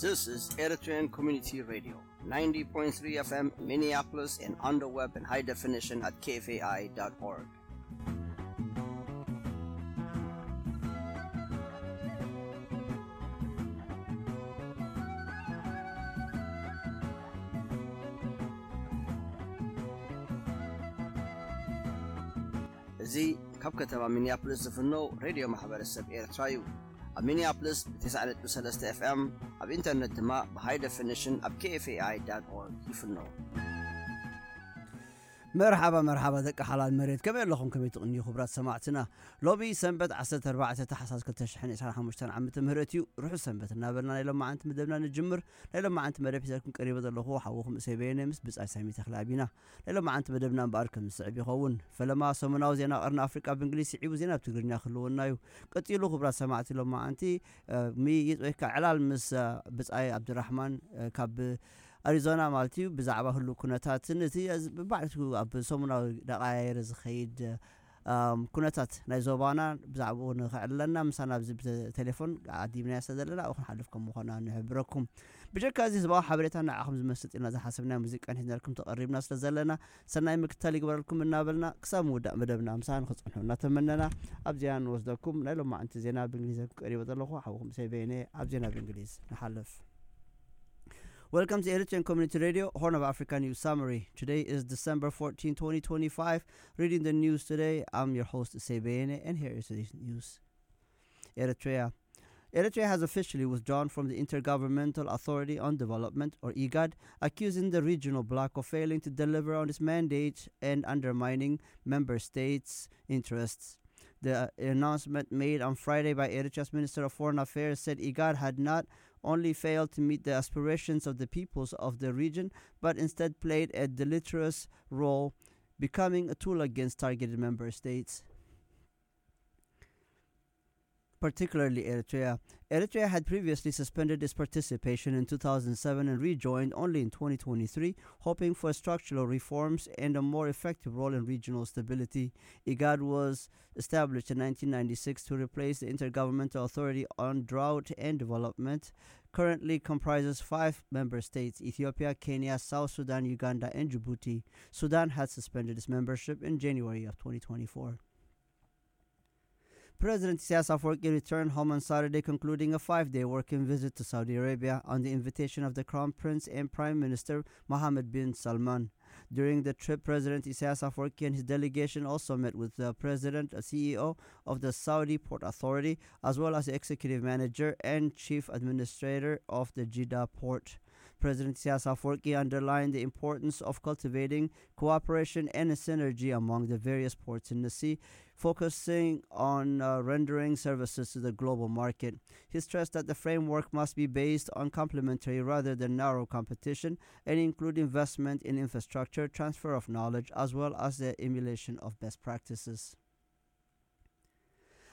This is Eritrean Community Radio, ninety point three F M Minneapolis and on the web in high definition at K F A I dot org. እዚ ካብ ከተማ ሚኒያፖሊስ ዝፍኖ ሬድዮ ማሕበረሰብ ኤርትራ እዩ። ኣብ ሚኒያፖሊስ ብ ተስዓ ነጥቢ ሰለስተ ኤፍ ኤም፣ ኣብ ኢንተርነት ድማ ብሃይ ደፊኒሽን ኣብ K F A I dot org ይፍኖ። መርሓባ መርሓባ ደቂ ሓላል መሬት፣ ከመይ ኣለኹም? ከመይ ትቕንዩ ክቡራት ሰማዕትና? ሎሚ ሰንበት ዓሰርተ ኣርባዕተ ታሕሳስ ክልተ ሽሕን ዕስራን ሓሙሽተን ዓመተ ምህረት እዩ። ርሑስ ሰንበት እናበልና ናይ ሎማዓንቲ መደብና ንጅምር። ናይ ሎማዓንቲ መደብ ሒዘልኩም ቀሪበ ዘለኹ ሓውኹም እሰይ በየነ ምስ ብጻይ ሳሚ ተኽለኣብ ኢና። ናይ ሎማዓንቲ መደብና እምበኣር ከም ዝስዕብ ይኸውን። ፈለማ ሰሙናዊ ዜና ቀርኒ ኣፍሪቃ ብእንግሊዝ ስዒቡ ዜና ብትግርኛ ክህልወና እዩ። ቀጺሉ ክቡራት ሰማዕቲ ሎማዓንቲ፣ እ፣ ምይይጥ ወይ ከዓ ዕላል ምስ፣ እ፣ ብጻይ ኣብድራሕማን፣ እ፣ ካብ ኣሪዞና ማለት እዩ፣ ብዛዕባ ህሉ ኩነታትን እቲ፣ እ፣ ብባዕቱ ኣብ ሰሙናዊ ዳቃያየረ ዝኸይድ፣ እ፣ ኣም፣ ኩነታት ናይ ዞባና ብዛዕባኡ ንኸዕልለና ምሳና ኣብዚ ብቴሌፎን ዓዲምናዮ ስለ ዘለና ኣብኡ ክንሓልፍ ከም ምዃና ንሕብረኩም። ብጀካ እዚ ህዝባዊ ሓበሬታ ንዓኹም ዝመስጥ ኢልና ዝሓሰብናዮ ሙዚቃን ሒዝናልኩም ተቐሪብና ስለ ዘለና ሰናይ ምክትታል ይግበረልኩም እናበልና ክሳብ ምውዳእ መደብና ምሳና ንክትጸንሑ እናተመነና ኣብ ዜና ንወስደኩም። ናይ ሎማዓንቲ ዜና ብእንግሊዝ ቀሪበ ዘለኹ ሓውኹም እሰይ በየነ። ኣብ ዜና ብእንግሊዝ ንሓልፍ። Welcome to Eritrean Community Radio, Horn of Africa News Summary. Today is December fourteen, twenty twenty-five. Reading the news today, I'm your host, Sebene, and here is today's news. Eritrea. Eritrea has officially withdrawn from the Intergovernmental Authority on Development, or igad, accusing the regional bloc of failing to deliver on its mandate and undermining member states' interests. The announcement made on Friday by Eritrea's Minister of Foreign Affairs said igad had not only failed to meet the aspirations of the peoples of the region, but instead played a deleterious role, becoming a tool against targeted member states, particularly Eritrea. Eritrea had previously suspended its participation in two thousand seven and rejoined only in twenty twenty-three, hoping for structural reforms and a more effective role in regional stability. igad was established in nineteen ninety-six to replace the Intergovernmental Authority on Drought and Development. Currently comprises five member states: Ethiopia, Kenya, South Sudan, Uganda, and Djibouti. Sudan had suspended its membership in January of twenty twenty-four. President Isaias Afwerki returned home on Saturday, concluding a five-day working visit to Saudi Arabia on the invitation of the Crown Prince and Prime Minister Mohammed bin Salman. During the trip, President Isaias Afwerki and his delegation also met with the President, a C E O of the Saudi Port Authority, as well as the executive manager and chief administrator of the Jeddah port. President Isaias Afwerki underlined the importance of cultivating cooperation and synergy among the various ports in the sea, focusing on, uh, rendering services to the global market. He stressed that the framework must be based on complementary rather than narrow competition and include investment in infrastructure, transfer of knowledge, as well as the emulation of best practices.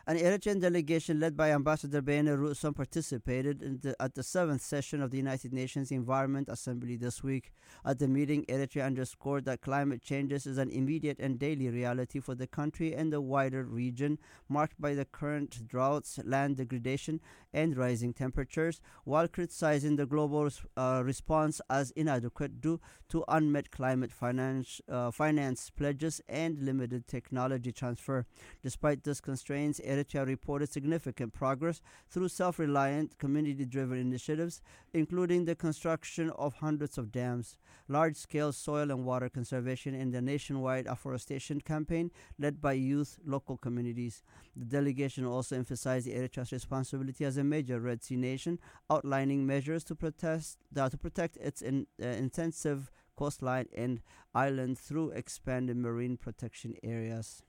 An Eritrean delegation led by Ambassador Beyene Rusom participated in the, at the seventh session of the United Nations Environment Assembly this week. At the meeting, Eritrea underscored that climate changes is an immediate and daily reality for the country and the wider region, marked by the current droughts, land degradation, and rising temperatures, while criticizing the global res-, uh, response as inadequate due to unmet climate finance, uh, finance pledges and limited technology transfer. Despite these constraints, Eritrea reported significant progress through self-reliant, community-driven initiatives, including the construction of hundreds of dams, large-scale soil and water conservation, and the nationwide afforestation campaign led by youth, local communities. The delegation also emphasized Eritrea's responsibility as a major Red Sea nation, outlining measures to protest, uh, to protect its in, uh, intensive coastline and island through expanded marine protection areas.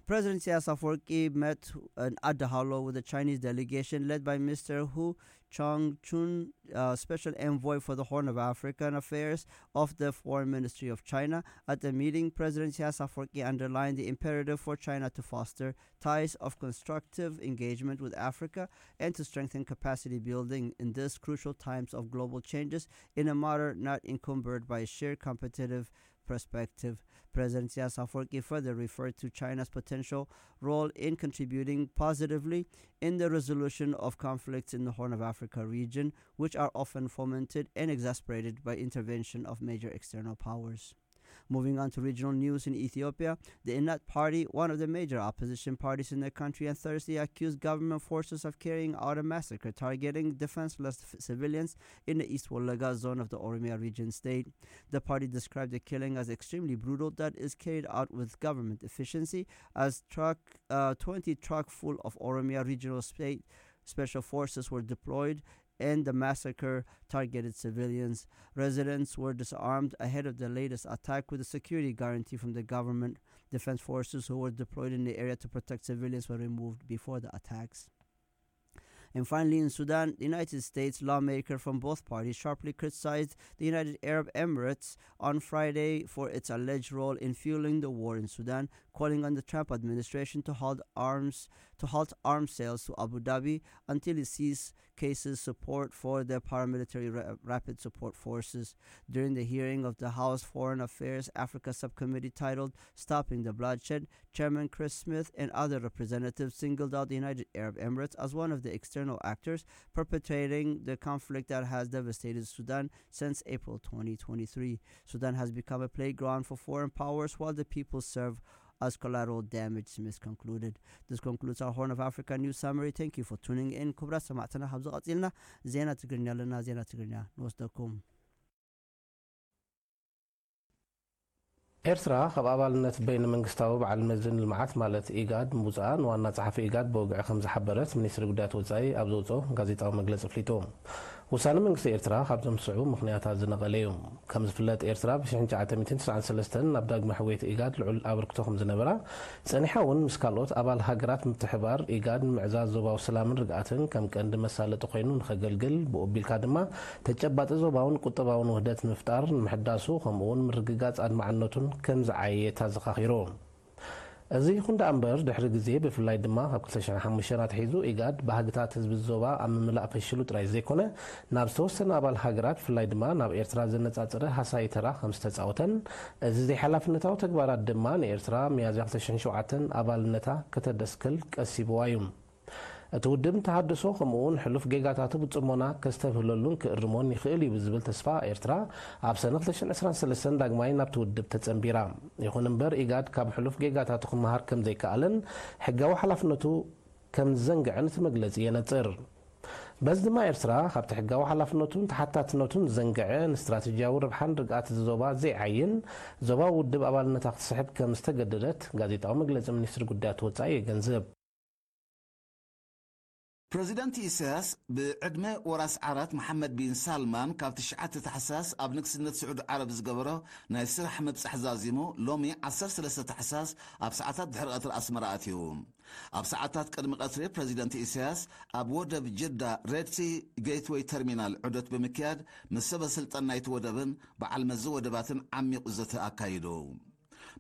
President Isaias Afwerki met in Adahalo with the Chinese delegation led by Mister Hu Changchun, uh, special envoy for the Horn of African Affairs of the Foreign Ministry of China. At the meeting, President Isaias Afwerki underlined the imperative for China to foster ties of constructive engagement with Africa and to strengthen capacity building in these crucial times of global changes in a manner not encumbered by shared competitive perspective. President Isaias Afwerki further referred to China's potential role in contributing positively in the resolution of conflicts in the Horn of Africa region, which are often fomented and exacerbated by intervention of major external powers. Moving on to regional news in Ethiopia, the Inat Party, one of the major opposition parties in the country, on Thursday accused government forces of carrying out a massacre targeting defenseless f- civilians in the East Wolaga zone of the Oromia region state. The party described the killing as extremely brutal that is carried out with government efficiency, as truck uh, twenty truck full of Oromia regional state special forces were deployed and the massacre targeted civilians. Residents were disarmed ahead of the latest attack with a security guarantee from the government. Defense forces who were deployed in the area to protect civilians were removed before the attacks. And finally, in Sudan, the United States lawmaker from both parties sharply criticized the United Arab Emirates on Friday for its alleged role in fueling the war in Sudan, calling on the Trump administration to halt arms to halt arms sales to Abu Dhabi until it sees cases support for the paramilitary ra- rapid support forces. During the hearing of the House Foreign Affairs Africa Subcommittee titled Stopping the Bloodshed, Chairman Chris Smith and other representatives singled out the United Arab Emirates as one of the external actors perpetrating the conflict that has devastated Sudan since April twenty twenty-three. Sudan has become a playground for foreign powers while the people serve as collateral damage, Smith concluded. This concludes our Horn of Africa news summary. Thank you for tuning in. ክቡራት ሰማዕትና፣ ካብዚ ቀጺልና ዜና ትግርኛ ኣለና። ዜና ትግርኛ ንወስደኩም። ኤርትራ ካብ ኣባልነት በይነ መንግስታዊ በዓል መዚ ንልምዓት ማለት ኢጋድ ምውፅኣ ንዋና ጸሓፊ ኢጋድ ብወግዒ ከም ዝሓበረት ሚኒስትሪ ጉዳያት ወጻኢ ኣብ ዘውፅኦ ጋዜጣዊ መግለጺ ኣፍሊጡ። ውሳነ መንግስቲ ኤርትራ ካብዞም ዝስዕቡ ምኽንያታት ዝነቐለ እዩ። ከም ዝፍለጥ ኤርትራ ብ1993 ናብ ዳግመ ሕውየት ኢጋድ ልዑል ኣበርክቶ ከም ዝነበራ፣ ጸኒሓ እውን ምስ ካልኦት ኣባል ሃገራት ምትሕባር ኢጋድ ንምዕዛዝ ዞባዊ ሰላምን ርግኣትን ከም ቀንዲ መሳለጢ ኮይኑ ንኸገልግል፣ ብኡ ኣቢልካ ድማ ተጨባጢ ዞባውን ቁጠባውን ውህደት ንምፍጣር፣ ንምሕዳሱ፣ ከምኡ እውን ምርግጋጽ ኣድማዕነቱን ከም ዝዓየየ ተዘኻኺሩ። እዚ ይኹን ደኣ እምበር፣ ድሕሪ ግዜ፣ ብፍላይ ድማ ካብ 2005 ኣትሒዙ፣ ኢጋድ ባህግታት ህዝቢ ዞባ ኣብ ምምላእ ፈሽሉ ጥራይ ዘይኮነ፣ ናብ ዝተወሰነ ኣባል ሃገራት፣ ብፍላይ ድማ ናብ ኤርትራ ዘነጻጸረ ሃሳዪ ተራ ከም ዝተጻወተን፣ እዚ ዘይሓላፍነታዊ ተግባራት ድማ ንኤርትራ ሚያዝያ 2007 ኣባልነታ ከተደስክል ቀሲብዋ እዩ። እቲ ውድብ ንተሃድሶ ከምኡውን ሕሉፍ ጌጋታቱ ብጽሞና ከስተብህለሉን ክእርሞን ይኽእል እዩ ብዝብል ተስፋ ኤርትራ ኣብ ሰነ 2023 ዳግማይ ናብቲ ውድብ ተጸንቢራ። ይኹን እምበር ኢጋድ ካብ ሕሉፍ ጌጋታቱ ክመሃር ከም ዘይከኣለን ሕጋዊ ሓላፍነቱ ከም ዝዘንግዐን እቲ መግለጺ የነጽር። በዚ ድማ ኤርትራ ካብቲ ሕጋዊ ሓላፍነቱን ተሓታትነቱን ዝዘንግዐ ንስትራተጂያዊ ረብሓን ርግኣት እዚ ዞባ ዘይዓይን ዞባዊ ውድብ ኣባልነታ ክትስሕብ ከም ዝተገደደት ጋዜጣዊ መግለጺ ሚኒስትሪ ጉዳያት ወጻኢ የገንዝብ። ፕረዚደንት ኢሳያስ ብዕድመ ወራስ ዓራት መሓመድ ቢን ሳልማን ካብ ትሽዓተ ታሕሳስ ኣብ ንግስነት ስዑዲ ዓረብ ዝገበሮ ናይ ስራሕ ምብጻሕ ዛዚሙ ሎሚ ዓሰርተ ሰለስተ ታሕሳስ ኣብ ሰዓታት ድሕሪ ቀትሪ ኣስመራ ኣትዩ። ኣብ ሰዓታት ቅድሚ ቀትሪ ፕረዚደንት ኢሳያስ ኣብ ወደብ ጅዳ ሬድሲ ጌትወይ ተርሚናል ዑደት ብምክያድ ምስ ሰበ ስልጣን ናይቲ ወደብን በዓል መዚ ወደባትን ዓሚቕ ዘተ ኣካይዱ።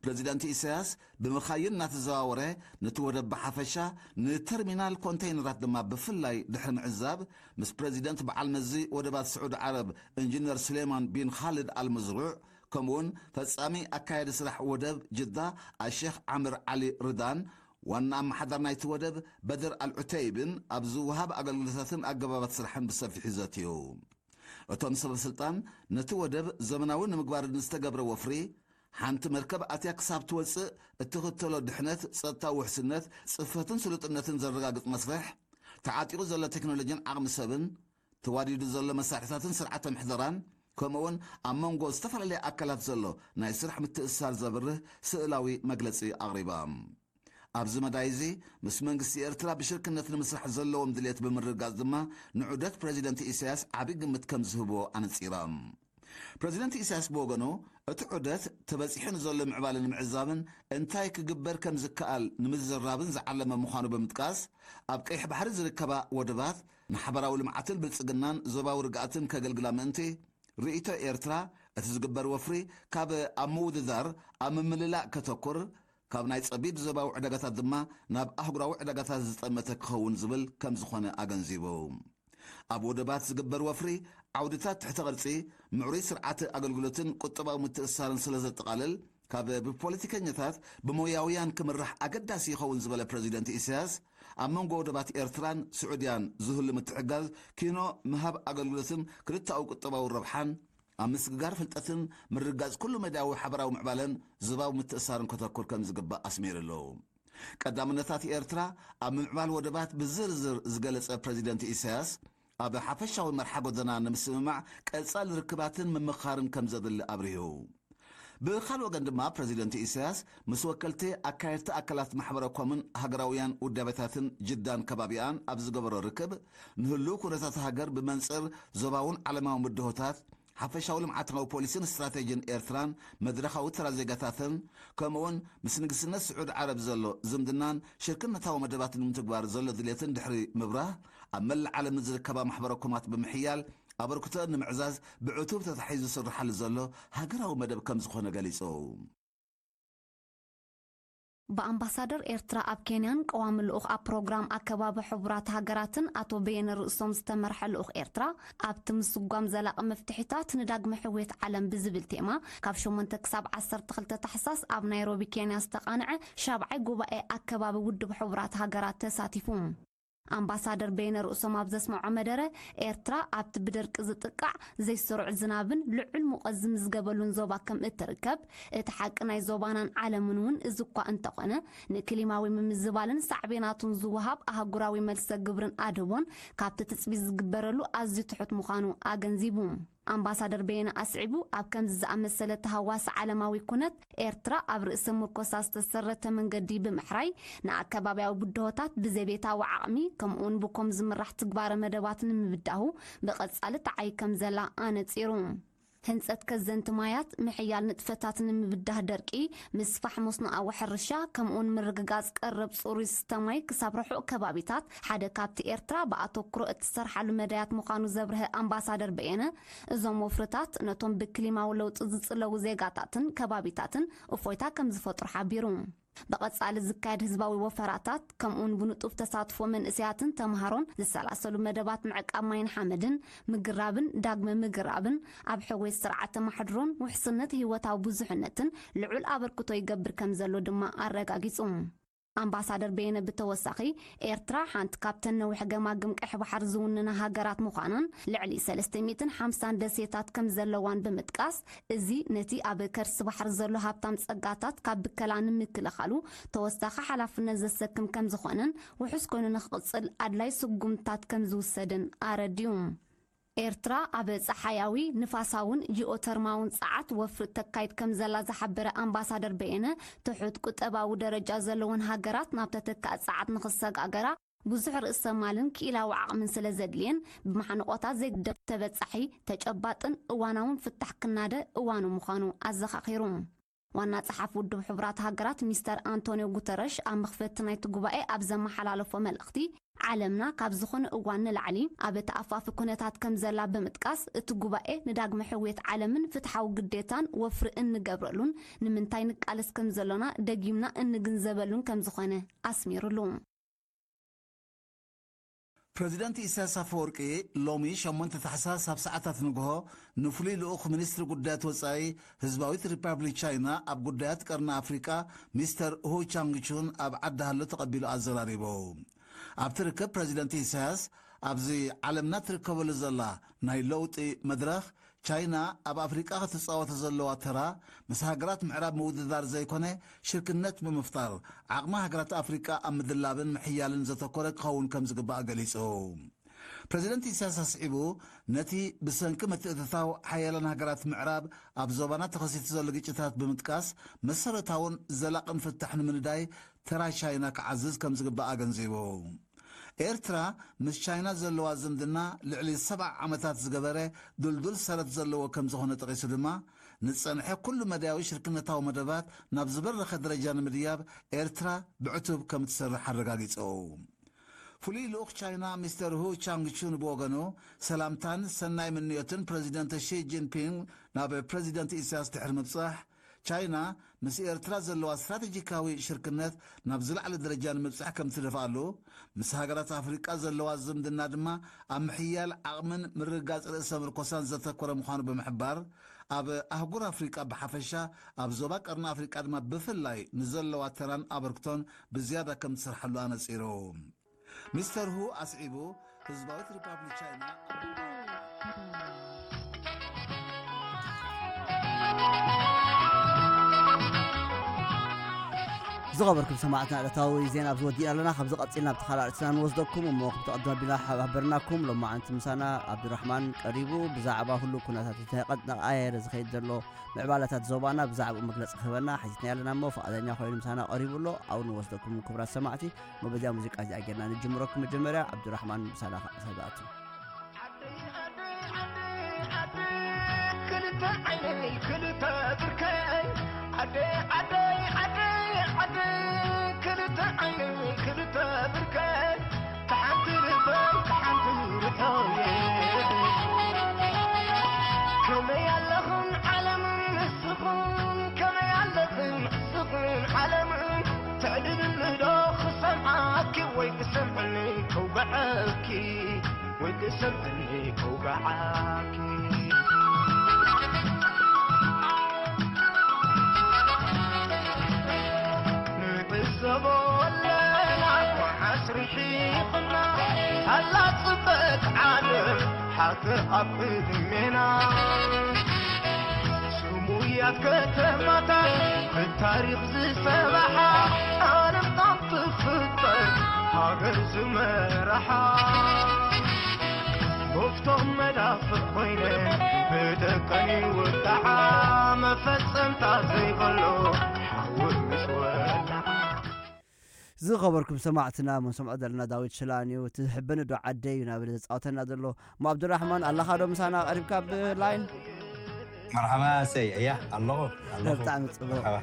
ፕረዚደንት ኢሳያስ ብምኻይን እናተዘዋወረ ነቲ ወደብ ብሓፈሻ ንተርሚናል ኮንተይነራት ድማ ብፍላይ ድሕሪ ምዕዛብ ምስ ፕረዚደንት በዓል መዚ ወደባት ስዑዲ ዓረብ ኢንጂነር ሱሌማን ቢን ኻልድ ኣልመዝሩዕ ከምኡውን ፈጻሚ ኣካያዲ ስራሕ ወደብ ጅዳ ኣሼኽ ዓምር ዓሊ ርዳን ዋና ኣመሓዳር ናይቲ ወደብ በድር ኣልዑተይብን ኣብ ዝወሃብ ኣገልግሎታትን ኣገባባት ስራሕን ብሰፊሑ ዘትዩ። እቶም ሰበ ስልጣን ነቲ ወደብ ዘመናዊ ንምግባር ንዝተገብረ ወፍሪ ሓንቲ መርከብ ኣትያ ክሳብ ትወጽእ እትኽተሎ ድሕነት፣ ጸጥታዊ ውሕስነት፣ ጽፈትን ስሉጥነትን ዘረጋግጽ መስርሕ፣ ተዓጢቑ ዘሎ ቴክኖሎጂን ዓቕሚ ሰብን፣ ተዋዲዱ ዘሎ መሳርሕታትን ስርዓተ ምሕደራን፣ ከምኡውን ኣብ መንጎ ዝተፈላለያ ኣካላት ዘሎ ናይ ስራሕ ምትእስሳር ዘብርህ ስእላዊ መግለጺ ኣቕሪባ። ኣብዚ መዳይ እዚ ምስ መንግስቲ ኤርትራ ብሽርክነት ንምስራሕ ዘለዎም ድልየት ብምርግጋጽ ድማ ንዑደት ፕረዚደንት ኢሳያስ ዓቢ ግምት ከም ዝህብዎ ኣነጺራ። ፕረዚደንት ኢሳያስ ብወገኑ እቲ ዑደት ተበጺሑ ንዘሎ ምዕባለ ንምዕዛብን እንታይ ክግበር ከም ዝከኣል ንምዝርራብን ዝዓለመ ምዃኑ ብምጥቃስ ኣብ ቀይሕ ባሕሪ ዝርከባ ወደባት ንሓበራዊ ልምዓትን ብልጽግናን ዞባዊ ርግኣትን ከገልግላ ምእንቲ ርእይቶ ኤርትራ እቲ ዝግበር ወፍሪ ካብ ኣብ ምውድዳር ኣብ ምምልላእ ከተኩር ካብ ናይ ጸቢብ ዞባዊ ዕዳጋታት ድማ ናብ ኣህጉራዊ ዕዳጋታት ዝጠመተ ክኸውን ዝብል ከም ዝኾነ ኣገንዚቡ። ኣብ ወደባት ዝግበር ወፍሪ ዓውድታት ትሕተ ቅርጺ፣ ምዕሩይ ስርዓተ ኣገልግሎትን ቁጠባዊ ምትእስሳርን ስለ ዘጠቓልል፣ ካብ ብፖለቲከኛታት ብሞያውያን ክምራሕ ኣገዳሲ ይኸውን ዝበለ ፕረዚደንት ኢሳያስ፣ ኣብ መንጎ ወደባት ኤርትራን ስዑድያን ዝህሉ ምትሕጋዝ ኪኖ ምሃብ ኣገልግሎትን ክልተኣዊ ቁጠባዊ ረብሓን ኣብ ምስግጋር ፍልጠትን ምርግጋጽ ኩሉ መዳያዊ ሓበራዊ ምዕባለን ዞባዊ ምትእስሳርን ከተኩር ከም ዝግባእ ኣስሚሩ ኣሎ። ቀዳምነታት ኤርትራ ኣብ ምምዕባል ወደባት ብዝርዝር ዝገለጸ ፕረዚደንት ኢሳያስ፣ ኣብ ሓፈሻዊ መርሓ ጎደና ንምስምማዕ ቀጻሊ ርክባትን ምምኻርን ከም ዘድሊ ኣብሪሁ። ብኻልእ ወገን ድማ ፕረዚደንት ኢሳያስ ምስ ወከልቲ ኣካየድቲ ኣካላት ማሕበረ ኮምን ሃገራውያን ውዳቤታትን ጅዳን ከባቢኣን ኣብ ዝገበሮ ርክብ፣ ንህልው ኩነታት ሃገር ብመንጽር ዞባውን ዓለማውን ብድሆታት፣ ሓፈሻዊ ልምዓታዊ ፖሊሲን ስትራቴጂን ኤርትራን መድረኻዊ ተራ ዜጋታትን፣ ከምኡውን ምስ ንግስነት ስዑድ ዓረብ ዘሎ ዝምድናን ሽርክነታዊ መደባትን ንምትግባር ዘሎ ድሌትን ድሕሪ ምብራህ፣ ኣብ መላእ ዓለም ንዝርከባ ማሕበረ ኮማት ብምሕያል ኣበርክቶ ንምዕዛዝ ብዕቱብ ተታሒዙ ዝስርሓሉ ዘሎ ሃገራዊ መደብ ከም ዝኾነ ገሊጹ። ብኣምባሳደር ኤርትራ ኣብ ኬንያን ቀዋሚ ልኡኽ ኣብ ፕሮግራም ኣከባቢ ሕቡራት ሃገራትን ኣቶ በየነ ርእሶም ዝተመርሐ ልኡኽ ኤርትራ፣ ኣብቲ ምስጓም ዘላቒ መፍትሒታት ንዳግመ ሕውየት ዓለም ብዝብል ቴማ፣ ካብ ሸሞንተ ክሳብ ዓሰርተ ክልተ ታሕሳስ ኣብ ናይሮቢ ኬንያ ዝተቓንዐ ሻብዓይ ጉባኤ ኣከባቢ ውድብ ሕቡራት ሃገራት ተሳቲፉ። ኣምባሳደር በየነ ርእሶም ኣብ ዘስምዖ መደረ፣ ኤርትራ ኣብቲ ብደርቂ ዝጥቃዕ ዘይስሩዕ ዝናብን ልዑል ሙቐት ዝምዝገበሉን ዞባ ከም እትርከብ፣ እቲ ሓቂ ናይ ዞባናን ዓለምን እውን እዚ እኳ እንተኾነ፣ ንክሊማዊ ምምዝባልን ሳዕቤናቱን ዝወሃብ ኣህጉራዊ መልሰ ግብርን ኣድህቦን ካብቲ ትጽቢት ዝግበረሉ ኣዝዩ ትሑት ምዃኑ ኣገንዚቡ። ኣምባሳደር በየነ ኣስዒቡ፣ ኣብ ከምዚ ዝኣመሰለ ተሃዋሲ ዓለማዊ ኩነት፣ ኤርትራ ኣብ ርእሰ ምርኮሳ ዝተሰረተ መንገዲ ብምሕራይ፣ ንኣከባብያዊ ብድሆታት ብዘቤታዊ ዓቕሚ፣ ከምኡውን ብኮም ዝምራሕ ትግባረ መደባት ንምብዳሁ ብቐጻሊ ትዓይ ከም ዘላ ኣነጺሩ። ህንጸት ከዘንቲ ማያት፣ ምሕያል ንጥፈታት ንምብዳህ ደርቂ፣ ምስፋሕ መስኖኣዊ ሕርሻ፣ ከምኡውን ምርግጋጽ ቀረብ ጽሩይ ዝስተ ማይ ክሳብ ርሑቕ ከባቢታት ሓደ ካብቲ ኤርትራ ብኣተኩሮ እትሰርሓሉ መዳያት ምዃኑ ዘብርሀ ኣምባሳደር በየነ፣ እዞም ወፍርታት ነቶም ብክሊማዊ ለውጢ ዝጽለዉ ዜጋታትን ከባቢታትን እፎይታ ከም ዝፈጥሩ ሓቢሩ። ብቐጻሊ ዝካየድ ህዝባዊ ወፈራታት፣ ከምኡውን ብንጡፍ ተሳትፎ መንእሰያትን ተምሃሮን ዝሰላሰሉ መደባት ምዕቃብ ማይን ሓመድን፣ ምግራብን ዳግመ ምግራብን፣ ኣብ ሕውየት ስርዓተ ማሕድሮን ውሕስነት ህይወታዊ ብዙሕነትን ልዑል ኣበርክቶ ይገብር ከም ዘሎ ድማ ኣረጋጊጹ። ኣምባሳደር በየነ ብተወሳኺ፣ ኤርትራ ሓንቲ ካብተን ነዊሕ ገማግም ቀይሕ ባሕሪ ዝውንና ሃገራት ምዃናን ልዕሊ ሰለስተ ሚእትን ሓምሳን ደሴታት ከም ዘለዋን ብምጥቃስ፣ እዚ ነቲ ኣብ ከርሲ ባሕሪ ዘሎ ሃብታም ጸጋታት ካብ ብከላ ንምክልኻሉ ተወሳኺ ሓላፍነት ዘሰክም ከም ዝኾነን ውሑስ ኮይኑ ንኽቕጽል ኣድላይ ስጉምትታት ከም ዝውሰድን ኣረድዩ። ኤርትራ ኣብ ጸሓያዊ፣ ንፋሳውን ጂኦተርማውን ጸዓት ወፍሪ ተካይድ ከም ዘላ ዝሓበረ ኣምባሳደር በየነ፣ ትሑት ቁጠባዊ ደረጃ ዘለወን ሃገራት ናብ ተተካኢ ጸዓት ንኽሰጋገራ ብዙሕ ርእሰ ማልን ክኢላዊ ዓቕምን ስለ ዘድልየን፣ ብማሕንቖታት ዘይግደፍ ተበጻሒ፣ ተጨባጥን እዋናውን ፍታሕ ክናደ እዋኑ ምዃኑ ኣዘኻኺሩ። ዋና ጸሓፊ ውድብ ሕቡራት ሃገራት ሚስተር ኣንቶኒዮ ጉተረሽ ኣብ መኽፈቲ ናይቲ ጉባኤ ኣብ ዘመሓላለፎ መልእኽቲ፣ ዓለምና ካብ ዝኾነ እዋን ንላዕሊ ኣብ ተኣፋፊ ኩነታት ከም ዘላ ብምጥቃስ፣ እቲ ጉባኤ ንዳግመ ሕውየት ዓለምን ፍትሓዊ ግዴታን ወፍሪ እንገብረሉን ንምንታይ ንቃለስ ከም ዘሎና ደጊምና እንግንዘበሉን ከም ዝኾነ ኣስሚሩሉ። ፕረዚደንት ኢሳያስ ኣፈወርቂ ሎሚ ሸሞንተ ታሕሳስ ኣብ ሰዓታት ንግሆ ንፍሉይ ልኡኽ ሚኒስትሪ ጉዳያት ወጻኢ ህዝባዊት ሪፓብሊክ ቻይና ኣብ ጉዳያት ቀርኒ ኣፍሪቃ ሚስተር ሁ ቻንግቹን ኣብ ዓዲ ሃሎ ተቐቢሉ ኣዘራሪቡ። ኣብቲ ርክብ ፕረዚደንት ኢሳያስ፣ ኣብዚ ዓለምና ትርከበሉ ዘላ ናይ ለውጢ መድረኽ፣ ቻይና ኣብ ኣፍሪቃ ክትጻወቶ ዘለዋ ተራ ምስ ሃገራት ምዕራብ ምውድዳር ዘይኮነ ሽርክነት ብምፍጣር ዓቕሚ ሃገራት ኣፍሪቃ ኣብ ምድላብን ምሕያልን ዘተኮረ ክኸውን ከም ዝግባእ ገሊጹ። ፕረዚደንት ኢሳያስ ኣስዒቡ፣ ነቲ ብሰንኪ ምትእትታው ሓያላን ሃገራት ምዕራብ ኣብ ዞባና ተኸሲቱ ዘሎ ግጭታት ብምጥቃስ፣ መሰረታውን ዘላቕን ፍታሕ ንምንዳይ ተራ ቻይና ክዓዝዝ ከም ዝግባእ ኣገንዚቡ። ኤርትራ ምስ ቻይና ዘለዋ ዝምድና ልዕሊ ሰብዓ ዓመታት ዝገበረ ድልዱል ሰረት ዘለዎ ከም ዝኾነ ጠቒሱ ድማ፣ ንጸንሐ ኩሉ መዳያዊ ሽርክነታዊ መደባት ናብ ዝበረኸ ደረጃ ንምድያብ ኤርትራ ብዕቱብ ከም ትሰርሕ ኣረጋጊጹ። ፍሉይ ልኡኽ ቻይና ሚስተር ሁ ቻንግቹን ብወገኑ፣ ሰላምታን ሰናይ ምንዮትን ፕረዚደንት ሺ ጂንፒንግ ናብ ፕረዚደንት ኢሳያስ ድሕሪ ምብጻሕ፣ ቻይና ምስ ኤርትራ ዘለዋ ስትራቴጂካዊ ሽርክነት ናብ ዝለዓለ ደረጃ ንምብጻሕ ከም ትደፍኣሉ፣ ምስ ሃገራት ኣፍሪቃ ዘለዋ ዝምድና ድማ ኣብ ምሕያል ዓቕምን ምርግጋጽ ርእሰ ምርኮሳን ዘተኮረ ምዃኑ ብምሕባር፣ ኣብ ኣህጉር ኣፍሪቃ ብሓፈሻ፣ ኣብ ዞባ ቀርኒ ኣፍሪቃ ድማ ብፍላይ ንዘለዋ ተራን ኣበርክቶን ብዝያዳ ከም ትሰርሓሉ ኣነጺሩ። ሚስተር ሁ ኣስዒቡ፣ ህዝባዊት ሪፓብሊክ ቻይና ዝኸበርኩም ሰማዕትና፣ ዕለታዊ ዜና ኣብዚ ወዲእና ኣለና። ካብዚ ቀጺልና ኣብቲ ካልእ ኣርእስትና ንወስደኩም እሞ፣ ከም ተቐድመ ኣቢልና ሓባበርናኩም፣ ሎማዓንቲ ምሳና ኣብዱራሕማን ቀሪቡ፣ ብዛዕባ ኩሉ ኩነታት እቲ ቀጥ እናቐያየረ ዝኸይድ ዘሎ ምዕባለታት ዞባና ብዛዕባኡ መግለጺ ክህበና ሓቲትና ኣለና እሞ፣ ፍቓደኛ ኮይኑ ምሳና ቀሪቡ ኣሎ። ኣብኡ ንወስደኩም ክቡራት ሰማዕቲ። እሞ በዚኣ ሙዚቃ እዚኣ ጌርና ንጅምረኩም። መጀመርያ ዓብዱራሕማን ምሳና ክኣቱ። ክልተ ዓይነይ ክልተ ብርከይ ዓደይ ዓደይ ዓደይ ዓደይ ክልተ ዓይነይ ክልተ ብርከይ ተሓንቲ ልበይ ተሓንቲ ርሑየ ከመይ ኣለኽን ዓለምን ንስኽን ከመይ ኣለኽን ንስኽን ዓለምን ትዕድልኒ ዶ ክሰምዓኪ ወይ ክሰምዕኒ ከውግዓኪ ወይ ክሰምዕኒ ከውግዓኪ ንዕዘቦ ኣለና መዓስ ርሒቕና ኣላ ጽበት ዓለም ሓፍር ኣብ ዕድሜና ስሙያት ከተማታት ብታሪኽ ዝሰባሓ ዓለም ካብ ትፍጠር ሃገር ዝመራሓ መፍቶም መዳፍእ ኮይነ ብደቀን ይውቃዓ መፈጸምታ ዘይበሎ ሓዊ ምስ ወላዓ ዝኸበርኩም ሰማዕትና፣ ሞ ንሰምዖ ዘለና ዳዊት ሽላን እዩ። እቲ ዝሕበኒ ዶ ዓደይ እዩ ናበለ ዘጻወተና ዘሎ። እሞ ኣብዱራሕማን፣ ኣለኻ ዶ ምሳና ቀሪብካ ብላይን? መርሓባ፣ ሰይ፣ እያ፣ ኣለኹ፣ ኣለኹ። ብጣዕሚ ጽቡቕ። መርሓባ።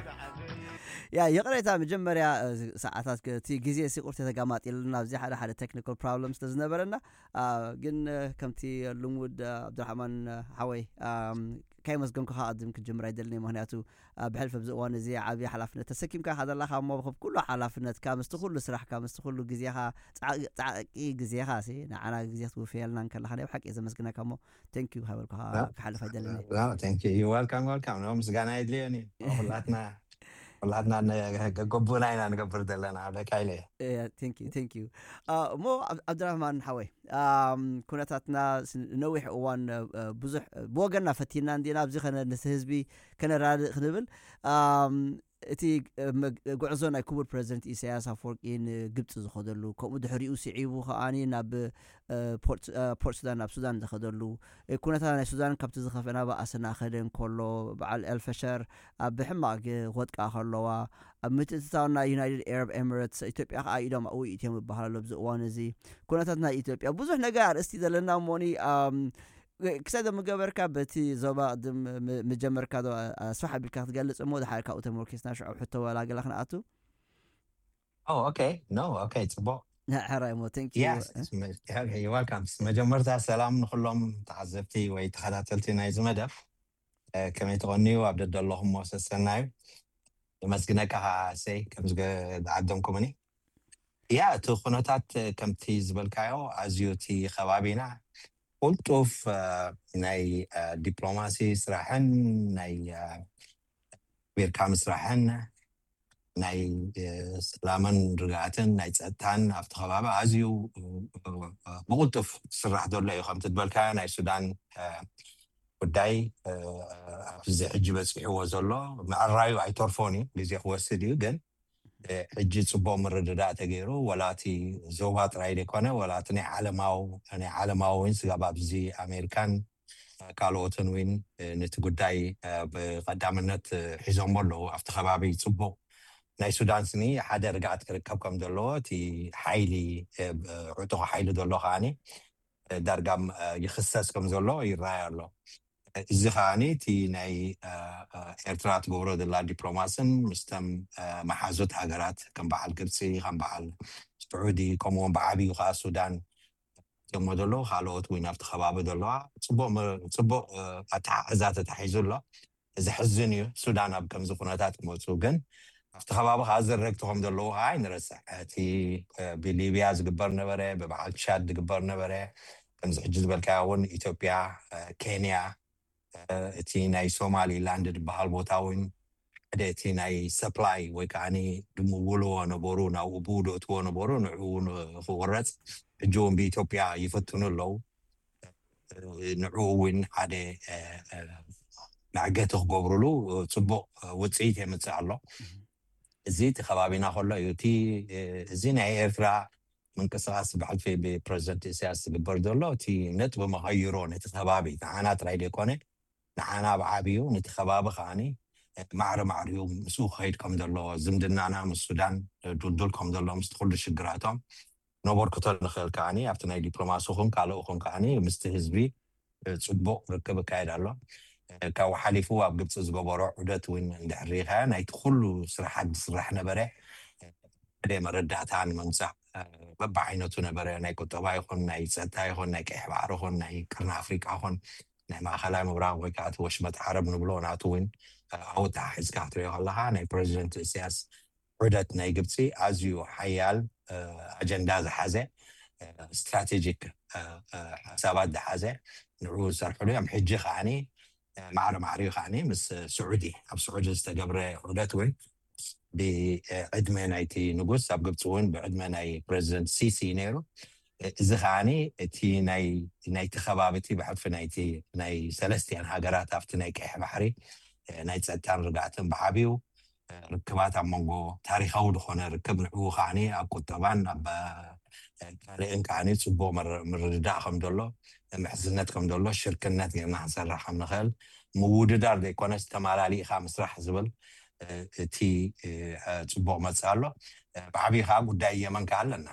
ያ፣ ይቕሬታ፣ መጀመርያ፣ እ፣ ሰዓታት ከ-፣ እቲ ግዜ ሲ ቁርት ተጋማጢልና፣ ኣብዚ ሓደ ሓደ ቴክኒካል ፕሮብለም ስለ ዝነበረና፣ አ፣ ግን፣ እ፣ ከምቲ ልሙድ፣ እ፣ ኣብዱራሕማን፣ እ፣ ሓወይ፣ ኣም፣ ካይመስገንኩኻ ኣቐድም ክጅምር ኣይደልን እየ። ምኽንያቱ፣ አ፣ ብሕልፊ ኣብዚ እዋን እዚ ዓቢ ሓላፍነት ተሰኪምካ ኢኻ ዘለኻ እሞ፣ ብኩሉ ሓላፍነትካ፣ ምስቲ ኩሉ ስራሕካ፣ ምስቲ ኩሉ ግዜኻ፣ ጻዕ-፣ ጻዕቂ ግዜኻ ሲ፣ ንዓና ግዜ ክትውፍየልና እንከለኻ፣ ናይ ብሓቂ እየ ዘመስግነካ እሞ፣ ቴንክ ዩ ሃበልኩኻ ዋ-፣ ክሓልፍ ኣይደልን እየ። ዋ-፣ ቴንክ ዩ። ዩ ዋልካም፣ ዋልካም። ኖ፣ ምስጋና የድልዮን እዩ። ኩላትና፣ ኩላትና ነ-፣ ገጎብና ኢና ንገብር ዘለና፣ ኣለካ ኢለ እየ። እየ፣ ቴንክ ዩ፣ ቴንክ ዩ። አ፣ እሞ ኣብ-፣ ኣብድራህማን ሓወይ፣ ኣም፣ ኩነታትና ስ-፣ ነዊሕ እዋን፣ እ፣ ብዙሕ፣ ብወገንና ፈቲና እንዲና፣ ኣብዚ ከነ-፣ ነቲ ህዝቢ ከነራድእ ክንብል፣ ኣም፣ እቲ፣ እ፣ መግ-፣ ጉዕዞ ናይ ክቡር ፕረዚደንት ኢሳያስ ኣፈወርቂ ንግብጺ ዝኸደሉ፣ ከምኡ ድሕሪኡ ስዒቡ ከኣኒ ናብ፣ እ፣ ፖርት፣ እ፣ ፖርት ሱዳን፣ ናብ ሱዳን ዝኸደሉ፣ እ፣ ኩነታት ናይ ሱዳን ካብቲ ዝኸፍአ ናብኣ እናኸደ እንከሎ፣ በዓል ኤልፈሸር ኣብ ሕማቕ ግ-፣ ክወድቃ ከለዋ፣ ኣብ ምትእትታው ናይ ዩናይትድ ኤረብ ኤሚሬትስ፣ ኢትዮጵያ ከኣ ኢዶም ኣብኡ ይእትዮም ይበሃል ኣሎ ኣብዚ እዋን እዚ። ኩነታት ናይ ኢትዮጵያ፣ ብዙሕ ነገር ኣርእስቲ ዘለና እሞኒ፣ ኣም፣ ክሳብ ምገበርካ በቲ ዞባ ቅድም ም-፣ ምጀመርካ ዶ ኣስፋሕ ኣቢልካ ክትገልጽ እሞ፣ ድሓር ካብኡ ተመርኪስና ሽዑ ሕቶ ወላ ገለ ክንኣቱ? ኦ፣ ኦኬ። ኖ፣ ኦኬ፣ ጽቡቕ። ሕራይ እሞ፣ ቴንክ ዩ። የስ፣ ስ-፣ መ-፣ ኦኬ፣ ዩ ዋልካም። መጀመርታ ሰላም ንኹሎም ተዓዘብቲ ወይ ተኸታተልቲ ናይዚ መደብ። እ፣ ከመይ ትቐንዩ? ኣብ ደደለኹሞ ሰሰናዩ። የመስግነካ ኸዓ እሰይ፣ ከም ዝገ-፣ ዝዓደምኩምኒ። ያ፣ እቲ ኩነታት፣ እ፣ ከምቲ ዝበልካዮ፣ ኣዝዩ እቲ ከባቢና ቁልጡፍ፣ እ፣ ናይ፣ እ፣ ዲፕሎማሲ ስራሕን ናይ፣ እ፣ ቢርካ ምስራሕን ናይ፣ እ፣ ሰላምን ርግኣትን ናይ ጸጥታን ኣብቲ ከባቢ ኣዝዩ፣ እ፣ እ፣ ብቕልጡፍ ዝስራሕ ዘሎ እዩ። ከምቲ ዝበልካዮ ናይ ሱዳን፣ እ፣ ጉዳይ፣ እ፣ ኣብዚ ሕጂ በጺሕዎ ዘሎ ምዕራዩ ኣይተርፎን እዩ፣ ግዜ ክወስድ እዩ። ግን፣ እ፣ ሕጂ ጽቡቕ ምርድዳእ ተገይሩ፣ ወላ እቲ ዞባ ጥራይ ዘይኮነ፣ ወላ እቲ ናይ ዓለማዊ፣ ናይ ዓለማዊ እውን ስጋብ ኣብዚ ኣሜሪካን ካልኦትን እውን፣ እ፣ ነቲ ጉዳይ፣ እ፣ ብቐዳምነት፣ እ፣ ሒዞሞ ኣለዉ። ኣብቲ ከባቢ ጽቡቕ ናይ ሱዳን ስኒ ሓደ ርግኣት ክርከብ ከም ዘለዎ እቲ ሓይሊ፣ እ፣ ብ-፣ ዕጡቕ ሓይሊ ዘሎ ከኣኒ፣ እ፣ ዳርጋ፣ እ፣ ይኽሰስ ከም ዘሎ ይረኣይ ኣሎ። እዚ ከኣኒ እቲ ናይ፣ እ፣ እ፣ ኤርትራ ትገብሮ ዘላ ዲፕሎማስን ምስቶም፣ እ፣ መሓዙት ሃገራት ከም በዓል ግብጺ፣ ከም በዓል ስዑዲ፣ ከምኡውን ብዓብዩ ከኣ ሱዳን እሞ ዘለዉ፣ ካልኦት እውን ኣብቲ ከባቢ ዘለዋ ጽቡቕ መ-፣ ጽቡቕ፣ እ፣ ኣተሓሕዛ ተታሒዙ ኣሎ። ዘሕዝን እዩ። ሱዳን ኣብ ከምዚ ኩነታት ክመፁ ግን ኣብቲ ከባቢ ከዓ ዘረግቲ ከም ዘለዉ ከዓ ኣይንረስዕ። እቲ ብሊብያ ዝግበር ነበረ፣ ብበዓል ቻድ ዝግበር ነበረ፣ ከምዚ ሕጂ ዝበልካዮ እውን ኢትዮጵያ፣ ኬንያ፣ እቲ ናይ ሶማሊላንድ ዝበሃል ቦታ እውን ሓደ እቲ ናይ ሰፕላይ ወይ ከዓ ድምውልዎ ነበሩ፣ ናብኡ ብኡ ደእትዎ ነበሩ፣ ንዕኡ ክቁረፅ ሕጂ እውን ብኢትዮጵያ ይፈትኑ ኣለዉ። ንዕኡ እውን ሓደ መዕገቲ ክገብሩሉ ፅቡቅ ውፅኢት የምፅእ ኣሎ። እዚ እቲ ከባቢና ከሎ እዩ። እቲ እዚ ናይ ኤርትራ ምንቅስቃስ ብሕልፊ ብፕረዚደንት ኢሳያስ ዝግበር ዘሎ እቲ ነጥቢ መቐይሮ ነቲ ከባቢ ንዓና ጥራይ ዘይኮነ ንዓና ብዓብዩ ነቲ ከባቢ ከዓኒ ማዕረ ማዕሪኡ ምስኡ ክኸይድ ከም ዘለዎ ዝምድናና ምስ ሱዳን ድልዱል ከም ዘሎ ምስቲ ኩሉ ሽግራቶም ነበርክቶ ንኽእል ከዓኒ ኣብቲ ናይ ዲፕሎማሲ ኹን ካልእ ኹን ከዓኒ ምስቲ ህዝቢ ፅቡቕ ርክብ ይካየድ ኣሎ። ካብኡ ሓሊፉ ኣብ ግብፂ ዝገበሮ ዑደት እውን እንድሕር ሪኢኻዮ ናይቲ ኩሉ ስራሓት ዝስራሕ ነበረ ሓደ መረዳእታ ንምምፃእ በብዓይነቱ ነበረ። ናይ ቁጠባ ይኹን ናይ ፀጥታ ይኹን ናይ ቀይሕ ባሕሪ ይኹን ናይ ቅርኒ ኣፍሪቃ ይኹን ናይ ማእኸላይ ምብራቕ ወይ ከዓ እቲ ወሽመጥ ዓረብ ንብሎ ናቱ እውን ኣብኡ ተሓሒዝካ ክትሪኦ ከለኻ ናይ ፕረዚደንት ኢሳያስ ዑደት ናይ ግብፂ ኣዝዩ ሓያል ኣጀንዳ ዝሓዘ ስትራቴጂክ ሓሳባት ዝሓዘ ንዕኡ ዝሰርሕሉ እዮም። ሕጂ ከዓኒ ማዕረ ማዕሪኡ ከዓኒ ምስ ስዑዲ ኣብ ስዑዲ ዝተገብረ ዑደት እውን ብዕድመ ናይቲ ንጉስ ኣብ ግብፂ እውን ብዕድመ ናይ ፕረዚደንት ሲሲ ነይሩ። እዚ ከዓኒ እቲ ናይቲ ከባቢ እቲ ብሕልፊ ናይቲ ናይ ሰለስቲኣን ሃገራት ኣብቲ ናይ ቀይሕ ባሕሪ ናይ ፀጥታን ርግኣትን ብዓብዩ ርክባት ኣብ መንጎ ታሪኻዊ ዝኾነ ርክብ ንዕኡ ከዓኒ ኣብ ቁጠባን ኣብ ካልእን ከዓኒ ፅቡቅ ምርድዳእ ከም ዘሎ ምሕዝነት ከም ዘሎ ሽርክነት ጌርና ክንሰርሕ ከም ንኽእል ምውድዳር ዘይኮነስ ተማላሊእካ ምስራሕ ዝብል እቲ ፅቡቅ መፅእ ኣሎ። ብዓብዩ ከዓ ጉዳይ የመን ከዓ ኣለና።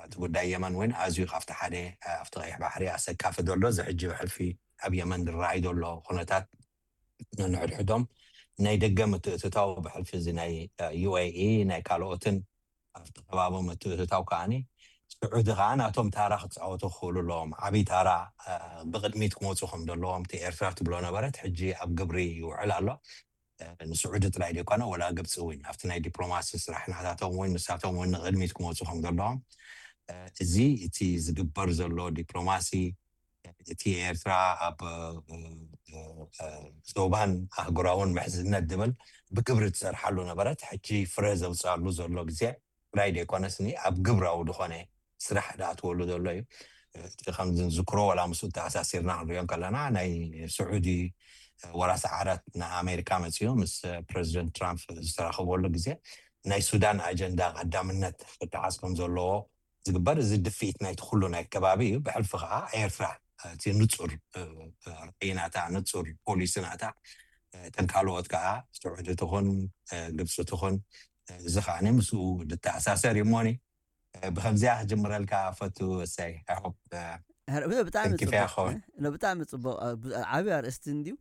እቲ ጉዳይ የመን እውን ኣዝዩ ካብቲ ሓደ ኣብቲ ቀይሕ ባሕሪ ኣሰካፊ ዘሎ እዚ ሕጂ ብሕልፊ ኣብ የመን ዝረኣይ ዘሎ ኩነታት ነንሕድሕዶም ናይ ደገ ምትእትታው ብሕልፊ እዚ ናይ ዩኤኢ ናይ ካልኦትን ኣብቲ ከባቢ ምትእትታው ከዓኒ ስዑዲ ከዓ ናቶም ታራ ክፃወቱ ክኽእሉ ኣለዎም። ዓብዪ ታራ ብቅድሚት ክመፁ ከም ዘለዎም እቲ ኤርትራ ትብሎ ነበረት ሕጂ ኣብ ግብሪ ይውዕል ኣሎ። ንስዑዲ ጥራይ ዘይኮነ ወላ ግብፂ እውን ኣብቲ ናይ ዲፕሎማሲ ስራሕ ናታቶም እውን ንሳቶም እውን ንቅድሚት ክመፁ ከም ዘለዎም እዚ እቲ ዝግበር ዘሎ ዲፕሎማሲ እቲ ኤርትራ ኣብ ዞባን ኣህጉራውን ምሕዝነት ዝብል ብግብሪ ትሰርሓሉ ነበረት ሕጂ ፍረ ዘውፅኣሉ ዘሎ ግዜ ጥራይ ዘይኮነስኒ ኣብ ግብራዊ ዝኾነ ስራሕ ዝኣትወሉ ዘሎ እዩ። እቲ ከም ዝንዝክሮ ዋላ ምስኡ ተኣሳሲርና ክንሪኦ ከለና ናይ ስዑዲ ወራሲ ዓራት ንኣሜሪካ መፅኡ ምስ ፕረዚደንት ትራምፕ ዝተራኸበሉ ግዜ ናይ ሱዳን ኣጀንዳ ቀዳምነት ክተሓዝ ከም ዘለዎ ዝግበር እዚ ድፍኢት ናይቲ ኩሉ ናይ ከባቢ እዩ። ብሕልፊ ከዓ ኤርትራ እቲ ንፁር ራእይናታ ንፁር ፖሊስናታ እተን ካልኦት ከዓ ስዑዲ ትኹን ግብፂ ትኹን እዚ ከዓ ምስኡ ዝተኣሳሰር እዩ እሞኒ ብከምዚኣ ክጅምረልካ ፈቱ እሰይ ብጣዕሚ ብጣዕሚ ፅቡቅ ዓብዪ ኣርእስቲ እንድዩ።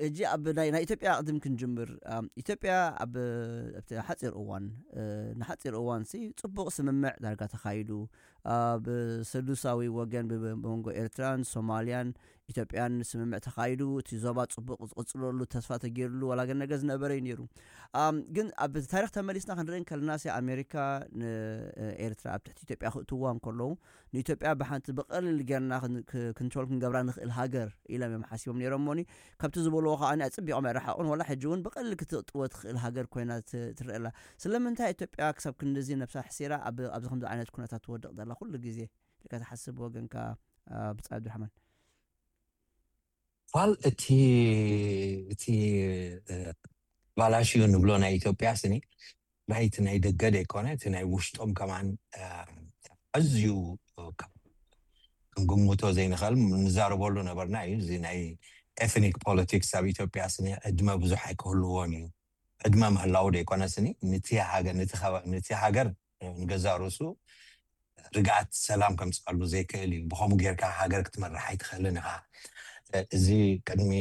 እጂ ኣብ ናይ ኢትዮጵያ ቅድም ክንጅምር ኢትዮጵያ ኣብ ሓፂር እዋን ንሓፂር እዋን ሲ ፅቡቅ ስምምዕ ዳርጋ ተካይዱ ኣብ ሰዱሳዊ ወገን ብመንጎ ኤርትራን ሶማልያን ኢትዮጵያን ስምምዕ ተካይዱ እቲ ዞባ ፅቡቅ ዝቅፅለሉ ተስፋ ተገይርሉ ዋላ ገነገ ዝነበረ እዩ ነይሩ። ግን ኣብ ታሪክ ተመሊስና ክንርኢ ከለና ሲ ኣሜሪካ ንኤርትራ ኣብ ትሕቲ ኢትዮጵያ ክእትዋ እንከለዉ ንኢትዮጵያ ብሓንቲ ብቀሊል ጌርና ክንትሮል ክንገብራ ንክእል ሃገር ኢሎም እዮም ሓሲቦም ነይሮም ሞኒ ካብቲ ዝበልዎ ከዓ ኣፅቢቆም ኣይረሓቁን ዋላ ሕጂ እውን ብቀሊል ክትእጥወ ትክእል ሃገር ኮይና ትረአ ኣላ። ስለምንታይ ኢትዮጵያ ክሳብ ክንድዚ ነብሳ ሕሲራ ኣብዚ ከምዚ ዓይነት ኩነታት ትወድቅ ዘላ ኩሉ ግዜ ኢልካ ትሓስብ ወገንካ ብጻይ ኣብዱራሕማን? ዋል እቲ እቲ ባላሽዩ ንብሎ ናይ ኢትዮጵያ ስኒ ናይ እቲ ናይ ደገ ዘይኮነ እቲ ናይ ውሽጦም ከማን ኣዝዩ ክንግምቶ ዘይንኽእል ንዛረበሉ ነበርና እዩ። እዚ ናይ ኤትኒክ ፖለቲክስ ኣብ ኢትዮጵያ ስኒ ዕድመ ብዙሕ ኣይክህልዎን እዩ። ዕድመ ምህላው ዘይኮነ ስኒ ነቲ ሃገር ንገዛ ርእሱ ርግኣት ሰላም ከምፅኣሉ ዘይክእል እዩ። ብከምኡ ጌርካ ሃገር ክትመርሕ ኣይትኽእልን ኢኻ። እዚ ቅድሚ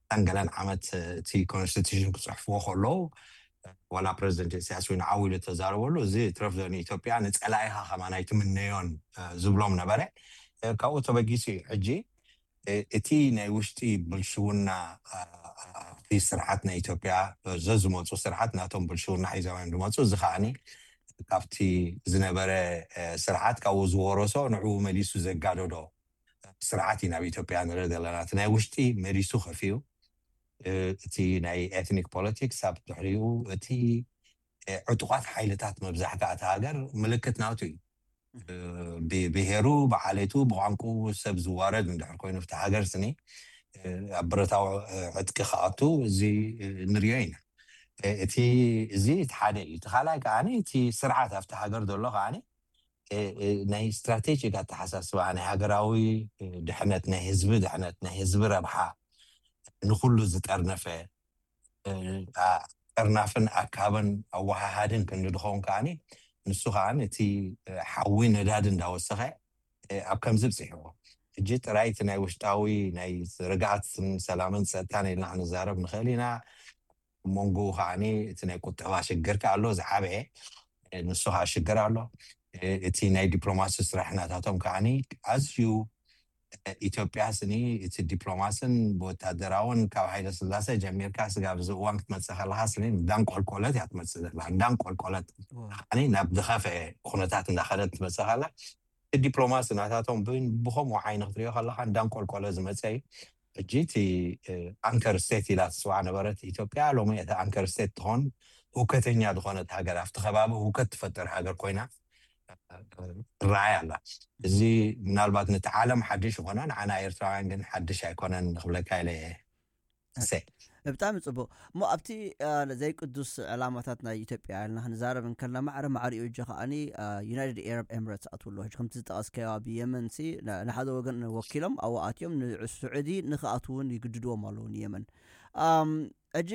ታን ገለን ዓመት እቲ ኮንስቲቱሽን ክፅሕፍዎ ከለዉ ዋላ ፕረዚደንት ኢሳያስ እውን ዓው ኢሉ ተዛረበሉ። እዚ ትረፍ ዞን ኢትዮጵያ ንፀላኢኻ ከማን ኣይትምነዮን ዝብሎም ነበረ። ካብኡ ተበጊሱ እዩ ሕጂ እቲ ናይ ውሽጢ ብልሽውና ኣብቲ ስርዓት ናይ ኢትዮጵያ ዘዝመፁ ስርዓት ናቶም ብልሽውና ሒዞም እዮም ዝመፁ። እዚ ከዓኒ ካብቲ ዝነበረ ስርዓት ካብኡ ዝወረሶ ንዕኡ መሊሱ ዘጋደዶ ስርዓት እዩ ናብ ኢትዮጵያ ንርኢ ዘለና። እቲ ናይ ውሽጢ መሊሱ ከፍዩ እቲ ናይ ኤትኒክ ፖለቲክስ ኣብ ድሕሪኡ እቲ ዕጡቓት ሓይልታት መብዛሕቲ ኣቲ ሃገር ምልክት ናቱ እዩ። ብብሄሩ ብዓሌቱ ብቋንቁ ሰብ ዝዋረድ እንድሕር ኮይኑ ኣብቲ ሃገር ስኒ ኣብ ብረታዊ ዕጥቂ ክኣቱ እዚ ንሪኦ ኢና። እቲ እዚ እቲ ሓደ እዩ። እቲ ካልኣይ ከዓ እቲ ስርዓት ኣብቲ ሃገር ዘሎ ከዓ ናይ ስትራቴጂክ ኣተሓሳስባ ናይ ሃገራዊ ድሕነት ናይ ህዝቢ ድሕነት ናይ ህዝቢ ረብሓ ንኩሉ ዝጠርነፈ ጠርናፍን ኣካብን ኣወሃሃድን ክንዲ ድኸውን ከዓ ንሱ ከዓ እቲ ሓዊ ነዳድ እንዳወሰኸ ኣብ ከምዚ ብፅሕዎ። ሕጂ ጥራይ እቲ ናይ ውሽጣዊ ናይ ርግኣትን ሰላምን ፀጥታን ኢልና ክንዛረብ ንኽእል ኢና። መንጎኡ ከዓ እቲ ናይ ቁጠባ ሽግር ከዓ ኣሎ ዝዓበየ ንሱ ከዓ ሽግር ኣሎ። እቲ ናይ ዲፕሎማሲ ስራሕ ናታቶም ከዓ ኣዝዩ ኢትዮጵያ ስኒ እቲ ዲፕሎማስን ብወታደራውን ካብ ሃይለ ስላሴ ጀሚርካ ስጋብ እዚ እዋን ክትመፅእ ከለካ ስኒ እንዳንቆልቆለት እያ ትመፅእ ዘላ እንዳንቆልቆለት ከዓ ናብ ዝኸፈአ ኩነታት እንዳኸደት ትመፅእ ከላ ዲፕሎማሲ ናታቶም ብኸምኡ ዓይኒ ክትሪኦ ከለካ እንዳንቆልቆለ ዝመፀ እዩ። ሕጂ እቲ ኣንከር ስቴት ኢላ ትፅዋዕ ነበረት ኢትዮጵያ ሎሚ እቲ ኣንከር ስቴት ትኾን ህውከተኛ ዝኾነት ሃገር ኣብቲ ከባቢ ህውከት ትፈጥር ሃገር ኮይና ትረኣይ ኣላ። እዚ ምናልባት ነቲ ዓለም ሓድሽ ይኾና ንዓና ኤርትራውያን ግን ሓድሽ ኣይኮነን ክብለካ ኢለ እየ። ብጣዕሚ ፅቡቅ እሞ ኣብቲ ዘይቅዱስ ዕላማታት ናይ ኢትዮጵያ ኢልና ክንዛረብ እንከልና ማዕረ ማዕሪኡ እጂ ከዓኒ ዩናይትድ ኤረብ ኤምረትስ ኣትውሎ ከምቲ ዝጠቀስካዮ ኣብ የመን ሲ ንሓደ ወገን ወኪሎም ኣብኡ ኣትዮም ንስዑዲ ንክኣትው እውን ይግድድዎም ኣለዉ ንየመን። ሕጂ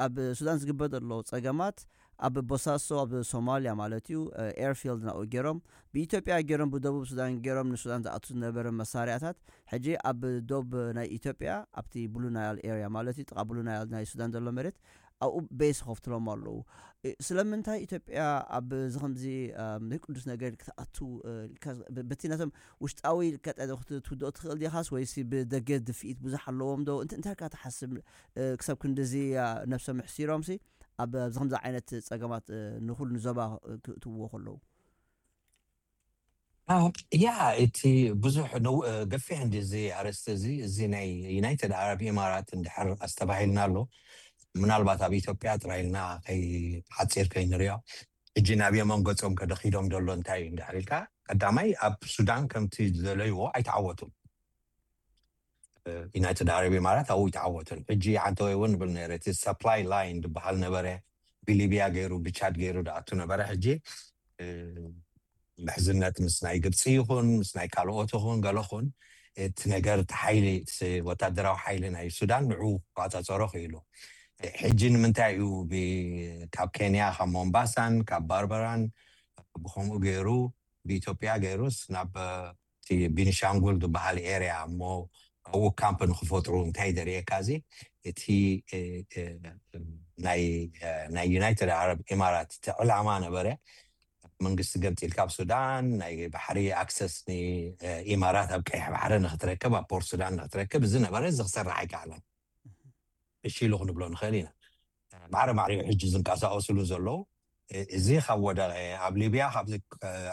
ኣብ ሱዳን ዝግበር ዘሎ ፀገማት ኣብ ቦሳሶ ኣብ ሶማልያ ማለት እዩ ኤርፊልድ ናብኡ ገይሮም ብኢትዮጵያ ገይሮም ብደቡብ ሱዳን ገይሮም ንሱዳን ዝኣቱ ዝነበረ መሳርያታት ሕጂ ኣብ ዶብ ናይ ኢትዮጵያ ኣብቲ ብሉ ናይል ኤርያ ማለት እዩ ጥቃ ብሉ ናይል ናይ ሱዳን ዘሎ መሬት ኣብኡ ቤስ ከፍትሎም ኣለዉ። ስለምንታይ ኢትዮጵያ ኣብዚ ከምዚ ናይ ቅዱስ ነገር ክትኣቱ በቲ ነቶም ውሽጣዊ ትውድኦ ትኽእል ዲኻስ ወይሲ ብደገ ድፍኢት ብዙሕ ኣለዎም ዶ እንታይ ኢልካ ትሓስብ? ክሳብ ክንድዚ ነብሶም ኣሕሲሮምሲ ኣብዚ ከምዚ ዓይነት ፀገማት ንኹሉ ንዞባ ክእትውዎ ከለዉ ያ እቲ ብዙሕ ገፊሕ እንዲ እዚ ኣርእስቲ እዚ እዚ ናይ ዩናይትድ ዓረብ ኢማራት እንድሕር ኣስተባሂልና ኣሎ ምናልባት ኣብ ኢትዮጵያ ጥራይ ኢልና ሓፂር ከይንሪኦ ሕጂ ናብ የመን ገፆም ከደኺዶም ዘሎ እንታይ እዩ እንድሕር ኢልካ ቀዳማይ ኣብ ሱዳን ከምቲ ዝደለይዎ ኣይተዓወቱን። ዩናይትድ ዓረብ ኢማራት ኣብኡ ይተዓወትን ሕጂ ዓንተወይ እውን ንብል ነረ እቲ ሰፕላይ ላይን ዝበሃል ነበረ ብሊብያ ገይሩ ብቻድ ገይሩ ድኣቱ ነበረ ሕጂ ምሕዝነት ምስ ናይ ግብፂ ይኹን ምስ ናይ ካልኦት ይኹን ገለኹን እቲ ነገር እቲ ሓይሊ ወታደራዊ ሓይሊ ናይ ሱዳን ንዑ ክቋፃፀሮ ክኢሉ ሕጂ ንምንታይ እዩ ካብ ኬንያ ካብ ሞምባሳን ካብ ባርበራን ብከምኡ ገይሩ ብኢትዮጵያ ገይሩስ ናብ እቲ ቢኒሻንጉል ዝበሃል ኤርያ እሞ ኣብኡ ካምፕ ንክፈጥሩ እንታይ ደርእየካ እዚ እቲ ናይ ዩናይትድ ዓረብ ኢማራት እቲ ዕላማ ነበረ መንግስቲ ገምፂልካ ኣብ ሱዳን ናይ ባሕሪ ኣክሰስ ንኢማራት ኣብ ቀይሕ ባሕሪ ንክትረክብ ኣብ ፖርት ሱዳን ንክትረክብ እዚ ነበረ እዚ ክሰርሕ ኣይከኣለን እሺ ኢሉ ክንብሎ ንኽእል ኢና ማዕረ ማዕሪኡ ሕጂ ዝንቀሳቀስሉ ዘለዉ እዚ ካብ ወደቀ ኣብ ሊብያ ካብዚ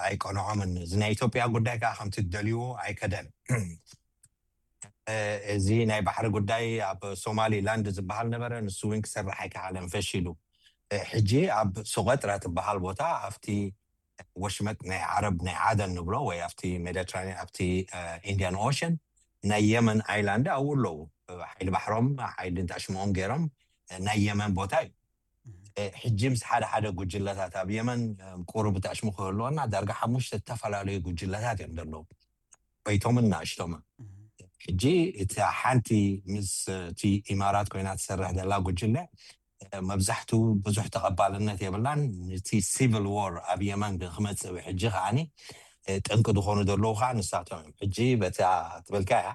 ኣይቀንዖምን እዚ ናይ ኢትዮጵያ ጉዳይ ከዓ ከምቲ ዝደልይዎ ኣይከደን እዚ ናይ ባሕሪ ጉዳይ ኣብ ሶማሊ ላንድ ዝበሃል ነበረ ንሱ እውን ክሰርሕ ኣይከኣለን ፈሺሉ ሕጂ ኣብ ሱቀጥራ ትበሃል ቦታ ኣብቲ ወሽመጥ ናይ ዓረብ ናይ ዓደን ንብሎ ወይ ኣብቲ ሜዲትራኒያን ኣብቲ ኢንዲያን ኦሽን ናይ የመን ኣይላንድ ኣብኡ ኣለዉ ሓይሊ ባሕሮም ሓይሊ ዳሽሞኦም ገይሮም ናይ የመን ቦታ እዩ ሕጂ ምስ ሓደ ሓደ ጉጅለታት ኣብ የመን ቁሩብ ዳሽሙ ክህልወና ዳርጋ ሓሙሽተ ዝተፈላለዩ ጉጅለታት እዮም ዘለዉ በይቶምን ናእሽቶምን ሕጂ እቲ ሓንቲ ምስ እቲ ኢማራት ኮይና ትሰርሕ ዘላ ጉጅለ መብዛሕቱ ብዙሕ ተቐባልነት የብላን እቲ ሲቪል ዎር ኣብ የመን ክመፅእ ሕጂ ከዓኒ ጠንቂ ዝኾኑ ዘለዉ ከዓ ንሳቶም እዮም ሕጂ በታ ትበልካ እያ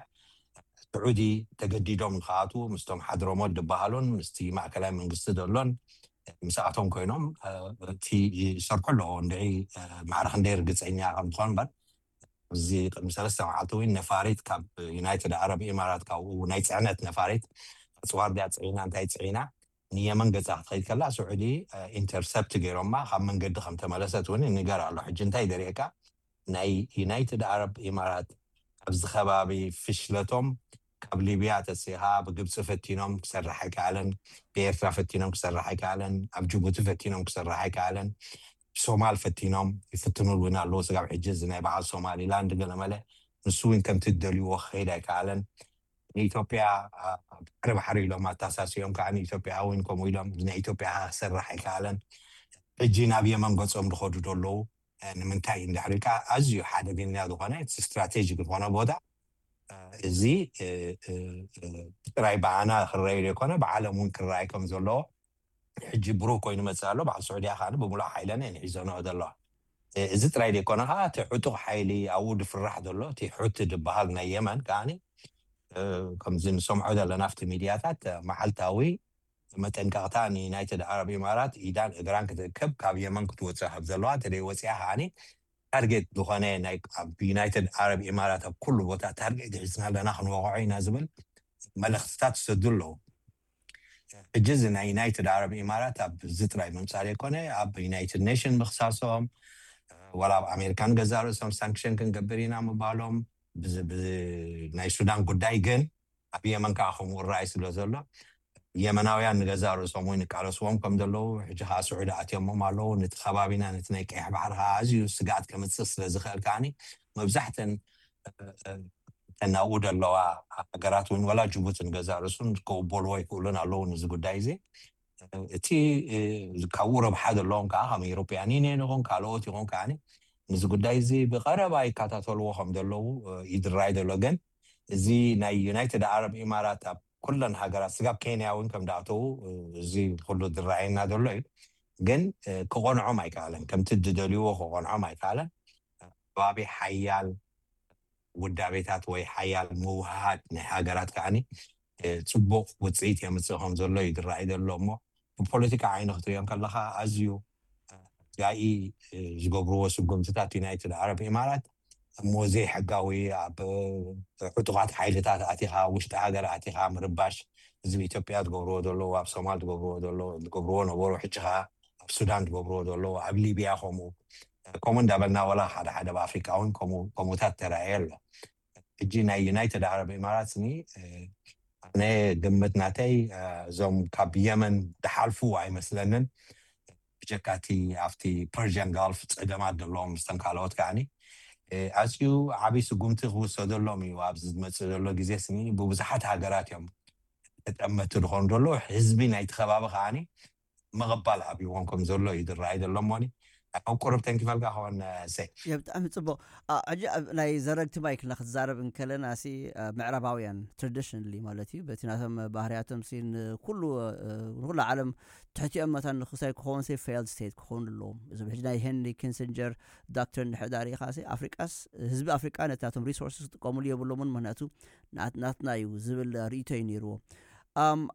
ስዑዲ ተገዲዶም ንክኣትዉ ምስቶም ሓድረሞት ዝበሃሉን ምስቲ ማእከላይ መንግስቲ ዘሎን ምስኣቶም ኮይኖም እቲ ይሰርሑ ኣለዎ እንድዒ ማዕረ ክንደይ ርግፀኛ ከም ዝኾን እምበር እዚ ቅድሚ ሰለስተ መዓልቲ እውን ነፋሪት ካብ ዩናይትድ ዓረብ ኢማራት ካብኡ ናይ ፅዕነት ነፋሪት ኣፅዋር ድያ ፅዒና እንታይ ፅዒና ንየመን ገፃ ክትኸይድ ከላ ስዑዲ ኢንተርሰፕት ገይሮማ ካብ መንገዲ ከም ተመለሰት እውን ይንገር ኣሎ። ሕጂ እንታይ ደሪእካ ናይ ዩናይትድ ዓረብ ኢማራት ኣብዚ ከባቢ ፍሽለቶም ካብ ሊብያ ተሲኻ ብግብፂ ፈቲኖም ክሰርሕ ኣይከኣለን፣ ብኤርትራ ፈቲኖም ክሰርሕ ኣይከኣለን፣ ኣብ ጅቡቲ ፈቲኖም ክሰርሕ ኣይከኣለን፣ ብሶማል ፈቲኖም ይፍትኑ እውን ኣለዉ። ስጋብ ሕጂ እዚ ናይ በዓል ሶማሊላንድ ገለመለ ንሱ እውን ከምቲ ዝደልይዎ ክኸይድ ኣይከኣለን። ንኢትዮጵያ ባሕሪ ባሕሪ ኢሎም ኣተሳሲኦም ከዓ ንኢትዮጵያ እውን ከምኡ ኢሎም ናይ ኢትዮጵያ ክሰርሕ ኣይከኣለን። ሕጂ ናብ የመን ገፆም ዝኸዱ ዘለዉ ንምንታይ እንድሕር ኢልካ ኣዝዩ ሓደገኛ ዝኾነ ስትራቴጂክ ዝኾነ ቦታ እዚ ጥራይ ብኣና ክረኣዩ ዘይኮነ ብዓለም እውን ክረኣይ ከም ዘለዎ ሕጂ ብሩህ ኮይኑ መፅእ ኣሎ። በዓል ስዑድያ ከዓ ብምሉእ ሓይለን እየን ሒዘንኦ ዘለዋ። እዚ ጥራይ ዘይኮነ ከዓ እቲ ዕጡቕ ሓይሊ ኣብኡ ዝፍራሕ ዘሎ እቲ ሑቲ ዝበሃል ናይ የመን ከዓ ከምዚ ንሰምዖ ዘለና ኣብቲ ሚድያታት መዓልታዊ መጠንቀቕታ ንዩናይትድ ዓረብ ኢማራት ኢዳን እግራን ክትእከብ ካብ የመን ክትወፅእ ካብ ዘለዋ እንተደይ ወፅያ ከዓ ታርጌት ዝኾነ ናይ ኣብ ዩናይትድ ዓረብ ኢማራት ኣብ ኩሉ ቦታ ታርጌት ሒዝና ኣለና ክንወቕዖ ኢና ዝብል መልእኽትታት ይሰዱ ኣለዉ። ሕጂ እዚ ናይ ዩናይትድ ዓረብ ኢማራት ኣብዚ ጥራይ ምምፃእ ዘይኮነ ኣብ ዩናይትድ ኔሽን ምኽሳሶም ዋላ ኣብ ኣሜሪካን ገዛ ርእሶም ሳንክሽን ክንገብር ኢና ምባሎም ናይ ሱዳን ጉዳይ ግን ኣብ የመን ከዓ ከምኡ ራእይ ስለ ዘሎ የመናውያን ንገዛ ርእሶም እውን ይቃለስዎም ከም ዘለዉ ሕጂ ከዓ ስዑዲ ኣትዮሞም ኣለዉ። ነቲ ከባቢና ነቲ ናይ ቀይሕ ባሕሪ ከዓ ኣዝዩ ስግኣት ከምፅእ ስለ ዝኽእል ከዓኒ መብዛሕተን ተናብኡ ዘለዋ ሃገራት እውን ወላ ጅቡቲ ንገዛ ርእሱን ክቕበልዎ ይክእሉን ኣለዉ። ነዚ ጉዳይ እዚ እቲ ካብኡ ረብሓ ዘለዎም ከዓ ከም ኤሮፓያን ዩኒየን ይኹን ካልኦት ይኹን ከዓ ነዚ ጉዳይ እዚ ብቐረባ ይከታተልዎ ከም ዘለዉ ይድራይ ዘሎ። ግን እዚ ናይ ዩናይትድ ዓረብ ኢማራት ኣብ ኩለን ሃገራት ስጋብ ኬንያ እውን ከም ዳእተዉ እዚ ኩሉ ዝረኣየና ዘሎ እዩ። ግን ክቆንዖም ኣይከኣለን፣ ከምቲ ዝደልይዎ ክቆንዖም ኣይከኣለን። ከባቢ ሓያል ውዳቤታት ወይ ሓያል ምውሃድ ናይ ሃገራት ከዓኒ ፅቡቕ ውፅኢት የምፅእ ከም ዘሎ እዩ ዝረኣይ ዘሎ። እሞ ብፖለቲካ ዓይኒ ክትሪኦ ከለካ ኣዝዩ ጋኢ ዝገብርዎ ስጉምትታት ዩናይትድ ዓረብ ኢማራት እሞ ዘይሕጋዊ ኣብ ዕጡቓት ሓይልታት ኣቲኻ ውሽጢ ሃገር ኣቲኻ ምርባሽ እዚ ኢትዮጵያ ዝገብርዎ ዘለዉ ኣብ ሶማል ዝገብርዎ ዘለዉ ዝገብርዎ ነበሩ ሕጂ ከዓ ኣብ ሱዳን ዝገብርዎ ዘለዉ ኣብ ሊብያ ከምኡ ከምኡ እንዳበልና ወላ ሓደ ሓደ ኣብ ኣፍሪቃ እውን ከምኡ ከምኡታት ተረኣየ ኣሎ። ሕጂ ናይ ዩናይትድ ዓረብ ኢማራት ስኒ ኣነ ግምት ናተይ እዞም ካብ የመን ድሓልፉ ኣይመስለንን። ብጀካ እቲ ኣብቲ ፐርዥያን ጋልፍ ፀገማት ዘለዎም ምስተን ካልኦት ከዓኒ ኣዝዩ ዓብዪ ስጉምቲ ክውሰደሎም እዩ። ኣብዚ ዝመፅእ ዘሎ ግዜ ስኒ ብብዙሓት ሃገራት እዮም ተጠመቲ ዝኾኑ ዘለዉ። ህዝቢ ናይቲ ከባቢ ከዓኒ ምቕባል ኣብይዎም ከም ዘሎ እዩ ዝረኣይ ዘሎ እሞኒ ኣብ ቁርብ ተንኪፈልካ ክኾን ሰይ የ ብጣዕሚ ፅቡቅ። ሕጂ ኣብ ናይ ዘረግቲ ማይክልና ክትዛረብ እንከለና ሲ ምዕራባውያን ትራዲሽናሊ ማለት እዩ በቲ ናቶም ባህርያቶም ሲ ንኩሉ ንኩሉ ዓለም ትሕቲኦም መታን ንክሳይ ክኸውን ሲ ፌልድ ስቴት ክኸውን ኣለዎም። እዚ ሕጂ ናይ ሄንሪ ኪንሲንጀር ዶክትሪን ድሕዳሪ ኢኻ ሲ ኣፍሪቃስ ህዝቢ ኣፍሪቃ ነቲ ናቶም ሪሶርስስ ክጥቀሙሉ የብሎምን ምክንያቱ ናትና እዩ ዝብል ርእቶ እዩ ነይርዎ።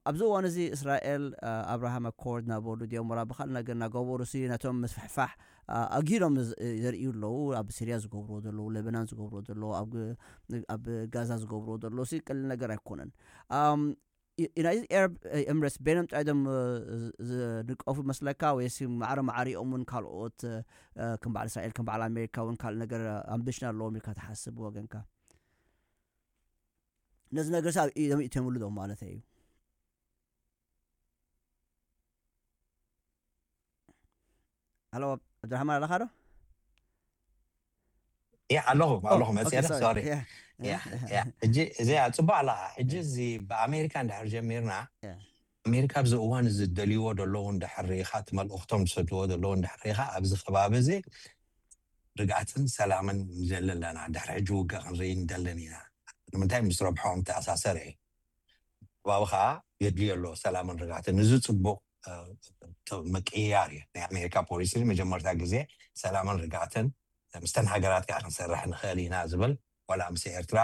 ኣብዚ እዋን እዚ እስራኤል ኣብርሃም ኣኮርድ እናበሉ ድዮም ወላ ብካልእ ነገር እናገበሩ ሲ ነቶም ምስፍሕፋሕ ኣጊዶም ዘርእዩ ኣለዉ። ኣብ ሲርያ ዝገብርዎ ዘለዉ ለበናን ዝገብርዎ ዘለዉ ኣብ ጋዛ ዝገብርዎ ዘለዉ ሲ ቀሊል ነገር ኣይኮነን። ዩናይትድ ኤረብ ኤምሬትስ በይኖም ጥራይ ዶም ዝንቀፉ መስለካ ወይስ ማዕረ ማዕሪኦም እውን ካልኦት ከም በዓል እስራኤል ከም በዓል ኣሜሪካ እውን ካልእ ነገር ኣምቢሽን ኣለዎም ኢልካ ትሓስብ ብወገንካ? ነዚ ነገር ሳ ኢዶም ይእተምሉ ዶ ማለት እዩ? ኣሎ ኣብድራህማን ኣለካ ዶ? ያ ኣለኹ ኣለኹ መፅያ ሶሪ ሕጂ እዚኣ ፅቡቅ ኣለካ። ሕጂ እዚ ብኣሜሪካ እንድሕር ጀሚርና ኣሜሪካ ኣብዚ እዋን እዚ ደልይዎ ዘለዉ እንድሕር ርኢኻ እቲ መልእኽቶም ዝሰድዎ ዘለዉ እንድሕር ርኢኻ ኣብዚ ከባቢ እዚ ርግኣትን ሰላምን ንደሊ ኣለና። ድሕሪ ሕጂ ውግእ ክንርኢ ንደልን ኢና። ንምንታይ ምስ ረብሖም ተኣሳሰር እዩ። ባብ ከዓ የድልዮ ኣሎ ሰላምን ርግኣትን። እዚ ፅቡቅ ምቅያር እዩ። ናይ ኣሜሪካ ፖሊሲ መጀመርታ ግዜ ሰላምን ርግኣትን ምስተን ሃገራት ከዓ ክንሰርሕ ንኽእል ኢና ዝብል ዋላ ምስ ኤርትራ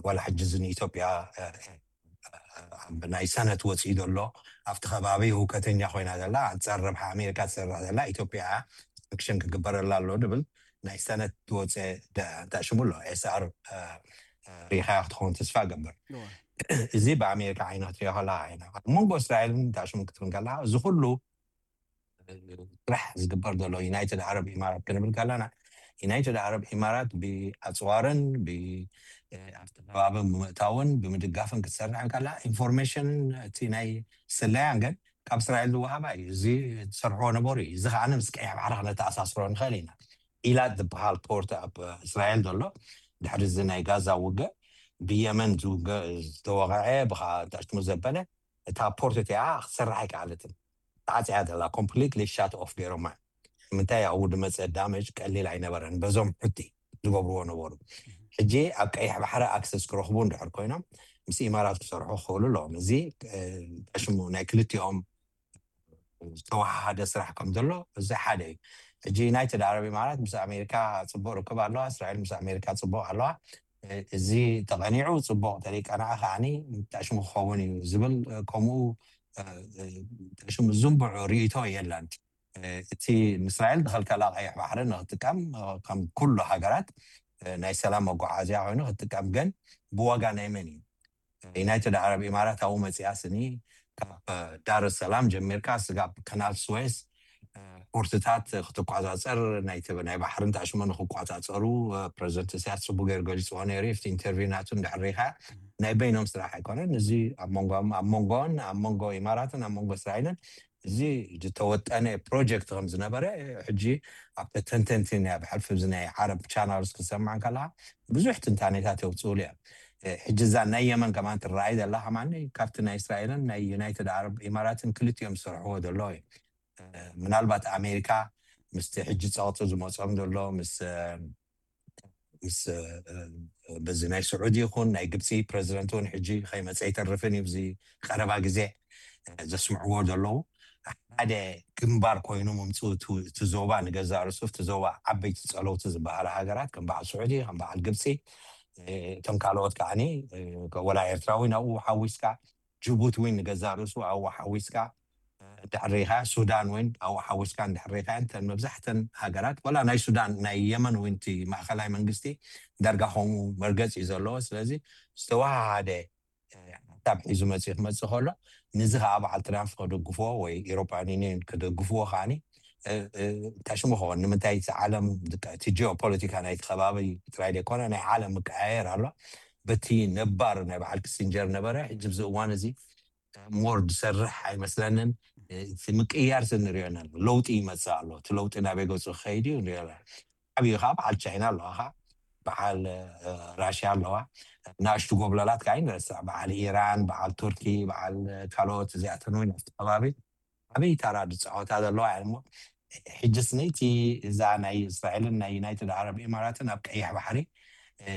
ዋላ ሕጂ እዚ ንኢትዮጵያ ናይ ሰነት ወፅኢ ዘሎ ኣብቲ ከባቢ ህውከተኛ ኮይና ዘላ ኣንፃር ረብሓ ኣሜሪካ ትሰርሕ ዘላ ኢትዮጵያ ሳንክሽን ክግበረላ ኣሎ ድብል ናይ ሰነት ዝወፀ እንታይ ሽሙ ኣሎ ኤስኣር ሪኻያ ክትኸውን ተስፋ ገብር። እዚ ብኣሜሪካ ዓይና ክትሪኦ ከላ ዓይና ኣብ መንጎ እስራኤልን እንታይ ሽሙ ክትብል ከላ እዚ ኩሉ ስራሕ ዝግበር ዘሎ ዩናይትድ ዓረብ ኢማራት ክንብል ከለና ዩናይትድ ዓረብ ኢማራት ብኣፅዋርን ኣብቲ ከባቢ ብምእታውን ብምድጋፍን ክትሰርሕ ከላ ኢንፎርሜሽን እቲ ናይ ስለያን ግን ካብ እስራኤል ዝወሃባ እዩ። እዚ ዝሰርሕዎ ነበሩ እዩ። እዚ ከዓ ምስ ቀይሕ ባሕሪ ክነተኣሳስሮ ንኽእል ኢና። ኢላት ዝበሃል ፖርት ኣብ እስራኤል ዘሎ ድሕሪ እዚ ናይ ጋዛ ውግእ ብየመን ዝተወቕዐ ብካ ታሽሙ ዘበለ እታ ፖርት እቲኣ ክትሰርሕ ኣይከኣለትን። ተዓፅያ ዘላ ኮምፕሊትሊ ሻት ኦፍ ገይሮማ። ምንታይ ኣብኡ ዝመፀ ዳመጅ ቀሊል ኣይነበረን። በዞም ሕቲ ዝገብርዎ ነበሩ። ሕጂ ኣብ ቀይሕ ባሕሪ ኣክሰስ ክረኽቡ እንድሕር ኮይኖም ምስ ኢማራት ክሰርሑ ክኽእሉ ኣለዎም። እዚ ሽሙ ናይ ክልቲኦም ዝተወሃሃደ ስራሕ ከም ዘሎ እዚ ሓደ እዩ። ሕጂ ዩናይትድ ዓረብ ኢማራት ምስ ኣሜሪካ ፅቡቅ ርክብ ኣለዋ፣ እስራኤል ምስ ኣሜሪካ ፅቡቅ ኣለዋ። እዚ ተቐኒዑ ፅቡቅ ተሪቀናዓ ከዓኒ ሽሙ ክኸውን እዩ ዝብል ከምኡ ሽሙ ዝንብዑ ርእቶ የለን። እቲ ንእስራኤል ዝኸልከላ ቀይሕ ባሕሪ ንክትጥቀም ከም ኩሉ ሃገራት ናይ ሰላም መጓዓዝያ ኮይኑ ክትጥቀም ግን ብዋጋ ናይ መን እዩ? ዩናይትድ ዓረብ ኢማራት ኣብኡ መፂኣ ስኒ ካብ ዳር ሰላም ጀሚርካ ስጋብ ከናል ስዌስ ፖርትታት ክትቋፃፀር ናይ ባሕሪ እንተሽሙ ንክቋፃፀሩ ፕረዚደንት እስያስ ፅቡቅ ገይሩ ገሊፅዎ ነይሩ። ኣብቲ ኢንተርቪው ናቱ እንድሕር ሪኢኻ ናይ በይኖም ስራሕ ኣይኮነን። እዚ ኣብ መንጎ ኣብ መንጎን ኣብ መንጎ ኢማራትን ኣብ መንጎ እስራኤልን እዚ ዝተወጠነ ፕሮጀክት ከም ዝነበረ ሕጂ ኣብ ተንተንቲ ናይ ኣብ ሕልፊ እዚ ናይ ዓረብ ቻናልስ ክሰማዕ ከለካ ብዙሕ ትንታኔታት የውፅእሉ እዮም። ሕጂ እዛ ናይ የመን ከማን ትረኣይ ዘላ ከማን ካብቲ ናይ እስራኤልን ናይ ዩናይትድ ዓረብ ኢማራትን ክልቲኦም ዝሰርሕዎ ዘሎ እዩ። ምናልባት ኣሜሪካ ምስቲ ሕጂ ፀቕጢ ዝመፆም ዘሎ ምስ ምስ በዚ ናይ ስዑዲ ይኹን ናይ ግብፂ ፕረዚደንት እውን ሕጂ ከይመፀ ይተርፍን እዩ። እዚ ቀረባ ግዜ ዘስምዕዎ ዘለዉ ሓደ ግንባር ኮይኑ ምምፅኡ እቲ ዞባ ንገዛ ርእሱ እቲ ዞባ ዓበይቲ ፀለውቲ ዝበሃሉ ሃገራት ከም በዓል ስዑዲ ከም በዓል ግብፂ እቶም ካልኦት ከዓኒ ወላ ኤርትራዊ ናብኡ ሓዊስካ ጅቡቲ እውን ንገዛ ርእሱ ኣብኡ ሓዊስካ እንድሕር ሪኢኻ ሱዳን እውን ኣብኡ ሓዊስካ እንድሕር ሪኢኻ እንተን መብዛሕተን ሃገራት ወላ ናይ ሱዳን ናይ የመን እውን እቲ ማእኸላይ መንግስቲ ዳርጋ ከምኡ መርገፂ እዩ ዘለዎ። ስለዚ ዝተወሃሃደ ሓሳብ ሒዙ መፂኡ ክመፅእ ከሎ ንዚ ከዓ በዓል ትራምፕ ክድግፍዎ ወይ ኢሮፓን ዩኒየን ክደግፍዎ ከዓኒ እንታይ ሽሙ ክኸውን ንምንታይ እቲ ዓለም እቲ ጂኦፖለቲካ ናይቲ ከባቢ ጥራይ ዘይኮነ ናይ ዓለም ምቀያየር ኣሎ። በቲ ነባር ናይ በዓል ክሲንጀር ነበረ። ሕጂ ኣብዚ እዋን እዚ ሞር ዝሰርሕ ኣይመስለንን። እቲ ምቅያር ንሪኦ ኣለና። ለውጢ ይመፅእ ኣሎ። እቲ ለውጢ ናበይ ገፁ ክኸይድ እዩ ንሪኦ ኣለና። ዓብዩ ከዓ በዓል ቻይና ኣለዋ፣ ከዓ በዓል ራሽያ ኣለዋ። ናእሽቱ ጎብለላት ከዓ ይንረስዕ፣ በዓል ኢራን፣ በዓል ቱርኪ፣ በዓል ካልኦት እዚኣተን እውን ኣብቲ ከባቢ ዓብዪ ታራ ዝፃወታ ዘለዋ እሞ ሕጂ ስኒ እቲ እዛ ናይ እስራኤልን ናይ ዩናይትድ ዓረብ ኢማራትን ኣብ ቀይሕ ባሕሪ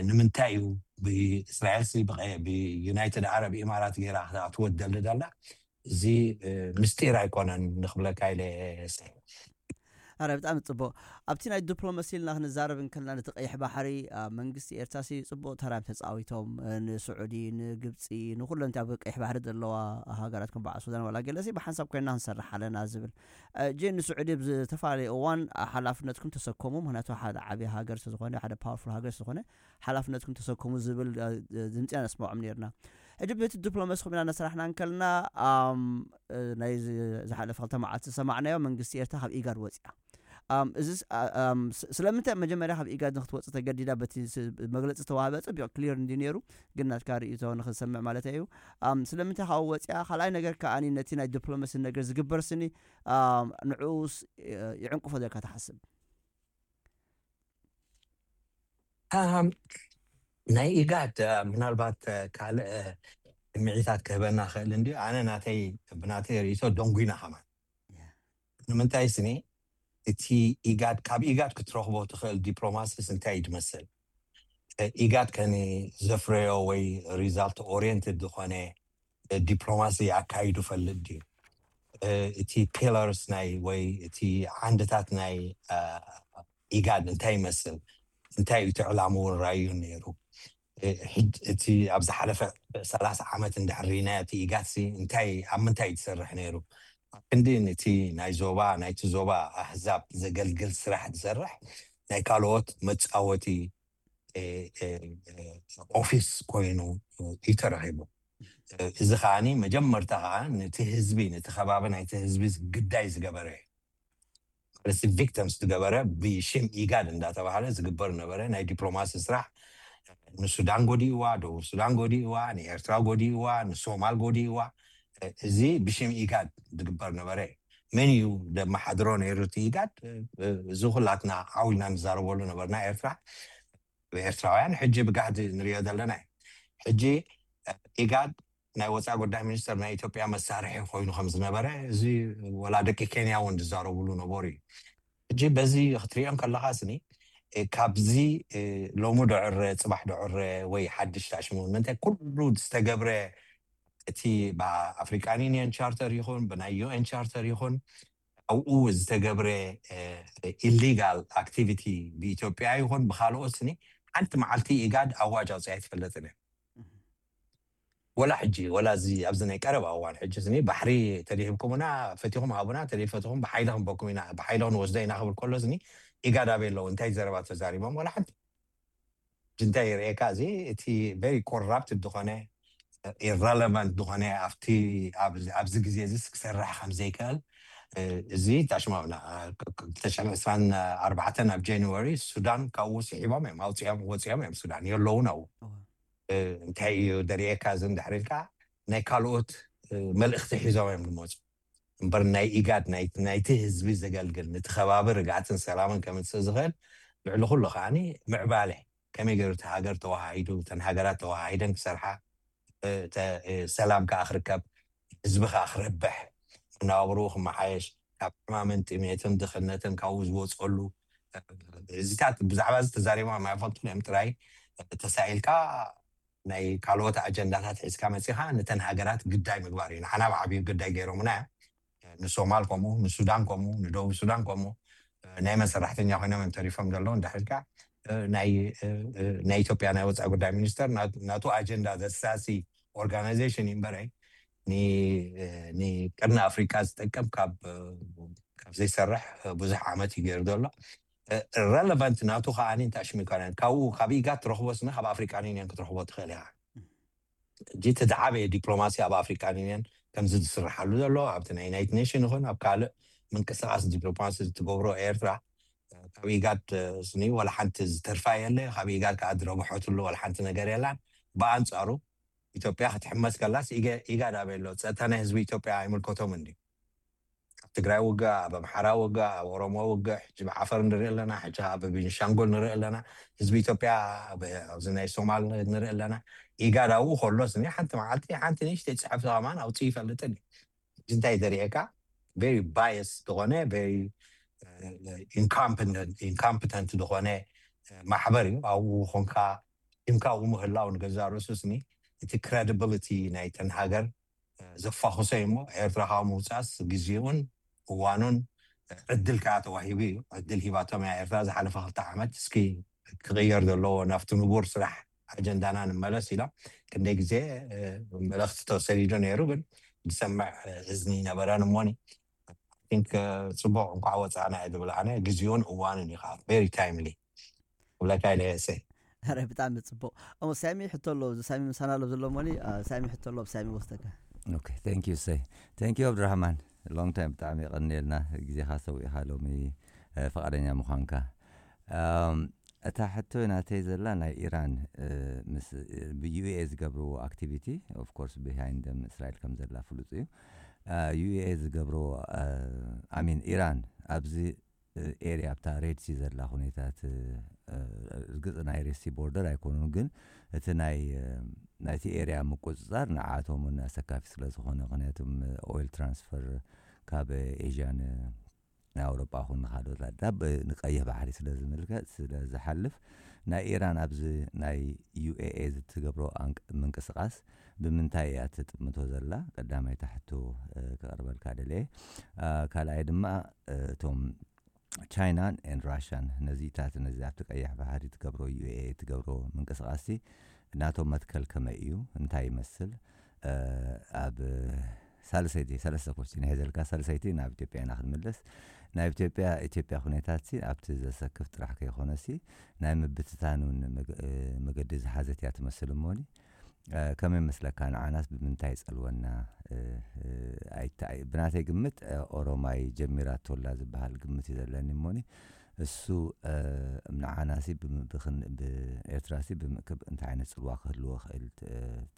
ንምንታይ እዩ ብእስራኤል ብዩናይትድ ዓረብ ኢማራት ገይራ ክትኣትዎ ትደሊ ዘላ እዚ ምስጢር ኣይኮነን ንክብለካ ኢለ። ኣረ ብጣዕሚ ፅቡቅ። ኣብቲ ናይ ዲፕሎማሲ ኢልና ክንዛረብ እንከልና ነቲ ቀይሕ ባሕሪ ኣብ መንግስቲ ኤርትራሲ ፅቡቅ ተራ ተፃዊቶም ንስዑዲ ንግብፂ ንኩለን ኣብ ቀይሕ ባሕሪ ዘለዋ ሃገራት ከም በዓል ሱዳን ዋላ ገለሲ ብሓንሳብ ኮይና ክንሰርሕ ኣለና ዝብል ጂ ንስዑዲ ብዝተፈላለየ እዋን ሓላፍነትኩም ተሰከሙ። ምክንያቱ ሓደ ዓብዪ ሃገር ስለዝኮነ ሓደ ፓወርፉል ሃገር ስለዝኮነ ሓላፍነትኩም ተሰከሙ ዝብል ድምፂ ነስምዖም ነርና። ሕጂ በቲ ዲፕሎማሲ ኮይና ነሰራሕና እንከልና ናይ ዝሓለፈ ክልተ መዓልቲ ዝሰማዕናዮ መንግስቲ ኤርትራ ካብ ኢጋድ ወፂኣ። እዚ ስለምንታይ መጀመርያ ካብ ኢጋድ ንክትወፅእ ተገዲዳ በቲ መግለፂ ዝተዋህበ ፅቢቕ ክሊር እንዲ ነይሩ ግን ናትካ ርእቶ ንክንሰምዕ ማለት እዩ። ስለምንታይ ካብኡ ወፂኣ ካልኣይ ነገር ከዓ ነቲ ናይ ዲፕሎማሲ ነገር ዝግበር ስኒ ንዕኡስ ይዕንቅፎ ዘልካ ትሓስብ? ናይ ኢጋድ ምናልባት ካልእ ስምዒታት ክህበና ክእል እንዲ ኣነ ናተይ ብናተይ ርእቶ ደንጉይና ከማን ንምንታይ ስኒ እቲ ኢጋድ ካብ ኢጋድ ክትረኽቦ ትኽእል ዲፕሎማሲስ እንታይ እዩ ዝመስል? ኢጋድ ከኒ ዘፍረዮ ወይ ሪዛልት ኦሪየንትድ ዝኾነ ዲፕሎማሲ ኣካይዱ ፈልጥ ድዩ? እቲ ፒለርስ ናይ ወይ እቲ ዓንድታት ናይ ኢጋድ እንታይ ይመስል? እንታይ እዩ እቲ ዕላምኡ ራእዩ ነይሩ? እቲ ኣብ ዝሓለፈ ሰላሳ ዓመት እንድሕር ርኢናዮ እቲ ኢጋድ ሲ እንታይ ኣብ ምንታይ እዩ ዝሰርሕ ነይሩ? ክንዲ ነቲ ናይ ዞባ ናይቲ ዞባ ኣህዛብ ዘገልግል ስራሕ ዝሰርሕ ናይ ካልኦት መፃወቲ ኦፊስ ኮይኑ እዩ ተረኺቡ። እዚ ከዓኒ መጀመርታ ከዓ ነቲ ህዝቢ፣ ነቲ ከባቢ ናይቲ ህዝቢ ግዳይ ዝገበረ እዩ። ማለት ቪክተምስ ዝገበረ ብሽም ኢጋድ እንዳተባሃለ ዝግበር ነበረ ናይ ዲፕሎማሲ ስራሕ። ንሱዳን ጎዲእዋ፣ ደቡብ ሱዳን ጎዲእዋ፣ ንኤርትራ ጎዲእዋ፣ ንሶማል ጎዲእዋ። እዚ ብሽም ኢጋድ ዝግበር ነበረ። መን እዩ ደመሓድሮ ነይሩ እቲ ኢጋድ? እዚ ኩላትና ዓው ኢልና ንዛረበሉ ነበርና። ኤርትራ ብኤርትራውያን ሕጂ ብጋህዲ ንሪኦ ዘለና እዩ። ሕጂ ኢጋድ ናይ ወፃኢ ጉዳይ ሚኒስተር ናይ ኢትዮጵያ መሳርሒ ኮይኑ ከም ዝነበረ እዚ ወላ ደቂ ኬንያ እውን ዝዛረብሉ ነበሩ እዩ። ሕጂ በዚ ክትሪኦ ከለካ ስኒ ካብዚ ሎሚ ዶዕረ ፅባሕ ዶዕረ ወይ ሓድሽ ታሽሙ ምንታይ ኩሉ ዝተገብረ እቲ ብኣፍሪካን ዩኒየን ቻርተር ይኹን ብናይ ዩኤን ቻርተር ይኹን ኣብኡ ዝተገብረ ኢሊጋል ኣክቲቪቲ ብኢትዮጵያ ይኹን ብካልኦት ስኒ ሓንቲ መዓልቲ ኢጋድ ኣዋጅ ኣውፅኣ ኣይትፈልጥን እያ። ወላ ሕጂ ወላ እዚ ኣብዚ ናይ ቀረባ እዋን ሕጂ ስኒ ባሕሪ ተደሂብኩምና ፈቲኹም ሃቡና ተደይፈትኹም ብሓይሊ ክንበኩም ኢና ብሓይሊ ክንወስዶ ኢና ክብል ከሎ ስኒ ኢጋድ ኣበይ ኣለዉ እንታይ ዘረባ ተዛሪቦም ወላ ሓንቲ እንታይ ይርእየካ እዚ እቲ ቨሪ ኮራፕትድ ዝኾነ ኢረለቫንት ዝኾነ ኣብቲ ኣብዚ ግዜ እዚ ክሰርሕ ከም ዘይክእል እዚ ታሽማምና ክልተ ሽሕን ዕስራን ኣርባዕተን ኣብ ጃንዋሪ ሱዳን ካብኡ ስሒቦም እዮም ኣውፅኦም ወፂኦም እዮም ሱዳን የለውን ኣብኡ እንታይ እዩ ደርእየካ እዚ እንድሕር ኢልካ ናይ ካልኦት መልእኽቲ ሒዞም እዮም ዝመፁ እምበር ናይ ኢጋድ ናይቲ ህዝቢ ዘገልግል ነቲ ከባቢ ርግኣትን ሰላምን ከምፅእ ዝኽእል ልዕሊ ኩሉ ከዓኒ ምዕባለ ከመይ ገይሩ እቲ ሃገር ተዋሃሂዱ እተን ሃገራት ተዋሃሂደን ክሰርሓ ሰላም ከዓ ክርከብ ህዝቢ ከዓ ክረብሕ መነባብርኡ ክመሓየሽ ካብ ሕማምን ጥሜትን ድኽነትን ካብኡ ዝወፀሉ እዚታት ብዛዕባ እዚ ተዛሪቦም ኣይፈልጡን እዮም ጥራይ ተሳኢልካ ናይ ካልኦት ኣጀንዳታት ሒዝካ መፂኻ ነተን ሃገራት ግዳይ ምግባር እዩ ንዓና ብዓብዩ ግዳይ ገይሮምና ንሶማል ከምኡ ንሱዳን ከምኡ ንደቡብ ሱዳን ከምኡ ናይ መን ሰራሕተኛ ኮይኖም እዮም ተሪፎም ዘለዉ እንዳሕልካ ናይ ኢትዮጵያ ናይ ወፃኢ ጉዳይ ሚኒስተር ናቱ ኣጀንዳ ዘሳሲ ኦርጋናይዜሽን እዩ እምበረይ ንቀርኒ ኣፍሪካ ዝጠቅም ካብ ዘይሰርሕ ብዙሕ ዓመት እዩ ገይሩ ዘሎ ረለቫንት ናቱ ከዓ እንታይ ሽሙ ይኮነን ካብኡ ካብ ኢጋድ ትረኽቦ ስነ ካብ ኣፍሪካን ዩኒየን ክትረኽቦ ትኽእል ኢኻ ሕጂ እቲ ዝዓበየ ዲፕሎማሲ ኣብ ኣፍሪካን ዩኒየን ከምዚ ዝስርሓሉ ዘሎ ኣብቲ ናይ ዩናይትድ ኔሽን ይኹን ኣብ ካልእ ምንቅስቃስ ዲፕሎማሲ ትገብሮ ኤርትራ ካብ ኢጋድ ስኒ ወላ ሓንቲ ዝተርፋ የለ ካብ ኢጋድ ከዓ ዝረብሐትሉ ወላ ሓንቲ ነገር የላን ብኣንፃሩ ኢትዮጵያ ክትሕመስ ከላስ ኢጋድ ኣበይ ኣሎ ፀጥታ ናይ ህዝቢ ኢትዮጵያ ኣይምልከቶም እንዲ ኣብ ትግራይ ውግእ ኣብ ኣምሓራ ውግእ ኣብ ኦሮሞ ውግእ ሕጂ ብዓፈር ንርኢ ኣለና ሕጂ ኣብ ቤንሻንጉል ንርኢ ኣለና ህዝቢ ኢትዮጵያ ኣብዚ ናይ ሶማል ንርኢ ኣለና ኢጋድ ኣብኡ ከሎ ስኒ ሓንቲ መዓልቲ ሓንቲ ንእሽተይ ፅሕፍቲ ከማን ኣውፅእ ይፈልጥን እዩ እንታይ ዘርእየካ very bias ዝኾነ ኢንኮምፕተንት ዝኾነ ማሕበር እዩ ኣብኡ ኮንካ ሽምካ ኣብኡ ምህላው ንገዛ ርእሱ ስኒ እቲ ክሬዲቢሊቲ ናይተን ሃገር ዘፋኹሰ እሞ ኤርትራ ካብ ምውፃስ ግዜኡን እዋኑን ዕድል ከዓ ተዋሂቡ እዩ ዕድል ሂባቶም እያ ኤርትራ ዝሓለፈ ክልተ ዓመት እስኪ ክቕየር ዘለዎ ናብቲ ንቡር ስራሕ ኣጀንዳና ንመለስ ኢሎም ክንደይ ግዜ መልእኽቲ ተሰዲዱ ነይሩ ግን ዝሰምዕ እዝኒ ነበረን እሞኒ ቲንክ ፅቡቅ እንኳዕ ወፃእና እየ ዝብል ኣነ ግዜኡን እዋኑን እዩ ከዓ very timely ክብለካ ኢለ እሰይ ረ ብጣዕሚ ፅቡቅ እሞ ሳሚ ሕቶ ኣሎ እዚ ሳሚ ምሳና ኣሎ ዘሎ ሞኒ ሳሚ ሕቶ ኣሎ ሳሚ ወስደካ ኦኬ thank you say thank you ኣብድራህማን long time ብጣዕሚ የቐንየልና ግዜኻ ሰዊእኻ ሎሚ ፍቃደኛ ምዃንካ እታ ሕቶ ናተይ ዘላ ናይ ኢራን ምስ ብዩኤ ዝገብርዎ ኣክቲቪቲ of course behind them እስራኤል ከም ዘላ ፍሉጥ እዩ ዩኤ ዝገብርዎ I mean ኢራን ኣብዚ ኤርያ ኣብታ ሬድ ሲ ዘላ ኩነታት ርግፅ ናይ ሬድ ሲ ቦርደር ኣይኮኑን ግን እቲ ናይ ናይቲ ኤርያ ምቁፅፃር ንዓቶም እውን ኣሰካፊ ስለ ዝኾነ ምክንያቱም ኦይል ትራንስፈር ካብ ኤዥያ ንኣውሮጳ ኹን ንካልኦት ኣዳብ ንቀይሕ ባሕሪ ስለ ዝምልከት ስለ ዝሓልፍ ናይ ኢራን ኣብዚ ናይ ዩኤኤ ዝትገብሮ ምንቅስቃስ ብምንታይ እያ ትጥምቶ ዘላ ቀዳማይ ታሕቶ ክቀርበልካ ደልየ ካልኣይ ድማ እቶም ቻይናን ን ራሽያን ነዚታት ነዚ ኣብቲ ቀይሕ ባሕሪ ትገብሮ ዩ ኤ ትገብሮ ምንቅስቃስቲ ናቶም መትከል ከመይ እዩ እንታይ ይመስል ኣብ ሳልሰይቲ ሰለስተ ኮስቲን ይሕዘልካ ሳልሰይቲ ናብ ኢትዮጵያ ኢና ክንምልስ ናይ ኢትዮጵያ ኢትዮጵያ ኩነታት ሲ ኣብቲ ዘሰክፍ ጥራሕ ከይኮነሲ ናይ ምብትታን እውን መገዲ ዝሓዘት እያ ትመስል። እሞኒ ከመይ መስለካ? ንዓናስ ብምንታይ ይጸልወና? ብናተይ ግምት ኦሮማይ ጀሚራቶላ ዝበሃል ግምት እዩ ዘለኒ። እሞኒ እሱ ንዓናሲ ብኤርትራሲ ብምእክብ እንታይ ዓይነት ጽልዋ ክህልዎ ክእል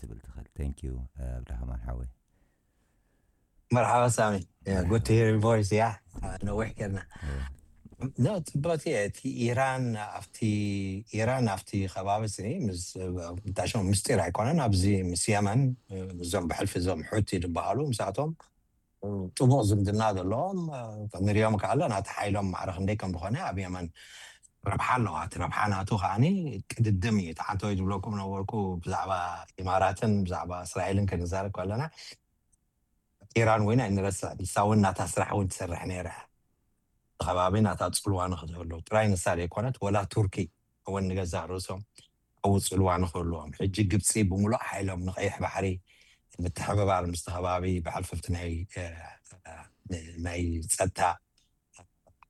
ትብል ትኽእል? Thank you ኣብድራህማን ሓወይ። መርሓባ ሳሚ። Good to hear your voice. ያ ነዊሕ ጌርና። ኖ ጽቡቅ። እቲ ኢራን ኣብቲ ኢራን ኣብቲ ከባቢ ስኒ ምስጣሽም ምስጢር ኣይኮነን። ኣብዚ ምስ የመን እዞም ብሕልፊ እዞም ሑቲ ዝበሃሉ ምስኣቶም ጥቡቅ ዝምድና ዘለዎም ንሪኦም ከኣለ ናቲ ሓይሎም ማዕረ ክንደይ ከም ዝኾነ ኣብ የመን ረብሓ ኣለዋ። እቲ ረብሓ ናቱ ከዓኒ ቅድድም እዩ። ተሓንተወይ ዝብለኩም ነበርኩ ብዛዕባ ኢማራትን ብዛዕባ እስራኤልን ክንዛረብ ከለና ኢራን ወይና እንረስዕ ንሳ እውን ናታ ስራሕ እውን ትሰርሕ ነይራ። ከባቢ ናታ ፅልዋ ንክትህሉ ጥራይ ንሳ ዘይኮነት ወላ ቱርኪ እውን ንገዛእ ርእሶም ኣብኡ ፅልዋ ንክህልዎም ሕጂ ግብፂ ብምሉእ ሓይሎም ንቀይሕ ባሕሪ ምትሕብባር ምስቲ ከባቢ ብሕልፍፍቲ ናይ ናይ ፀጥታ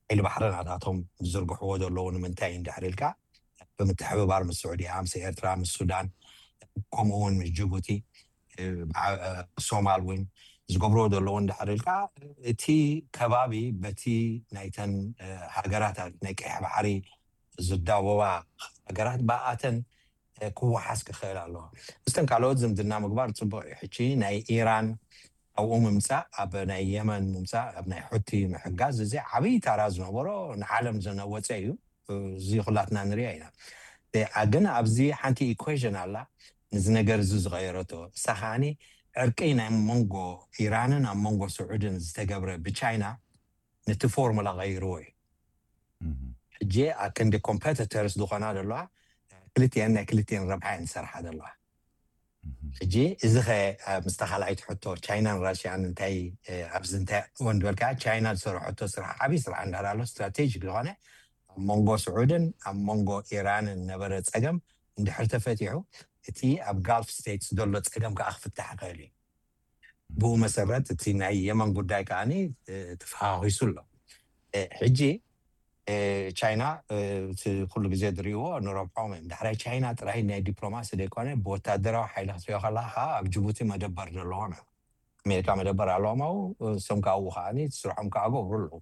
ሓይሊ ባሕሪ ናታቶም ዝዝርግሕዎ ዘለዉ ንምንታይ እንድሕር ኢልካ ብምትሕብባር ምስ ስዑድያ ምስ ኤርትራ ምስ ሱዳን ከምኡ እውን ምስ ጅቡቲ ሶማል እውን ዝገብርዎ ዘለዉ እንድሕር ኢልካ እቲ ከባቢ በቲ ናይተን ሃገራት ናይ ቀይሕ ባሕሪ ዝዳወባ ሃገራት ብኣተን ክወሓስ ክኽእል ኣለዎ። ምስተን ካልኦት ዝምድና ምግባር ፅቡቅ እዩ። ሕጂ ናይ ኢራን ኣብኡ ምምፃእ ኣብ ናይ የመን ምምፃእ ኣብ ናይ ሑቲ ምሕጋዝ እዚ ዓብዪ ታራ ዝነበሮ ንዓለም ዘነወፀ እዩ። እዚ ኩላትና ንሪኦ ኢና። ግን ኣብዚ ሓንቲ ኢኩዌሽን ኣላ ነዚ ነገር እዚ ዝቐየረቶ እሳ ከዓኒ ዕርቂ ናይ መንጎ ኢራንን ኣብ መንጎ ስዑድን ዝተገብረ ብቻይና ነቲ ፎርሙላ ቀይርዎ እዩ። ሕጂ ኣብ ክንዲ ኮምፐቲተርስ ዝኾና ዘለዋ ክልቲአን ናይ ክልቲአን ረብሓ እየን ዝሰርሓ ዘለዋ። ሕጂ እዚ ኸ ምስታ ካልኣይቲ ሕቶ ቻይናን ራሽያን እንታይ ኣብዚ እንታይ እወን ዝበልካ ቻይና ዝሰርሐቶ ስራሕ ዓብዪ ስራሕ እንዳላ ኣሎ ስትራቴጂክ ዝኾነ ኣብ መንጎ ስዑድን ኣብ መንጎ ኢራንን ነበረ ፀገም እንድሕር ተፈቲሑ እቲ ኣብ ጋልፍ ስቴትስ ዘሎ ፀገም ከዓ ክፍታሕ ይኽእል እዩ። ብኡ መሰረት እቲ ናይ የመን ጉዳይ ከዓኒ ተፈኻኺሱ ኣሎ። ሕጂ ቻይና እቲ ኩሉ ግዜ ዝሪእዎ ንረብሖም እዮም። ዳሕራይ ቻይና ጥራይ ናይ ዲፕሎማሲ ዘይኮነ ብወታደራዊ ሓይሊ ክትሪኦ ከለካ ከዓ ኣብ ጅቡቲ መደበር ዘለዎም እዮም። ኣሜሪካ መደበር ኣለዎም ኣብኡ እሶም ከዓ ኣብኡ ከዓኒ እቲ ስርሖም ከዓ ገብሩ ኣለዉ።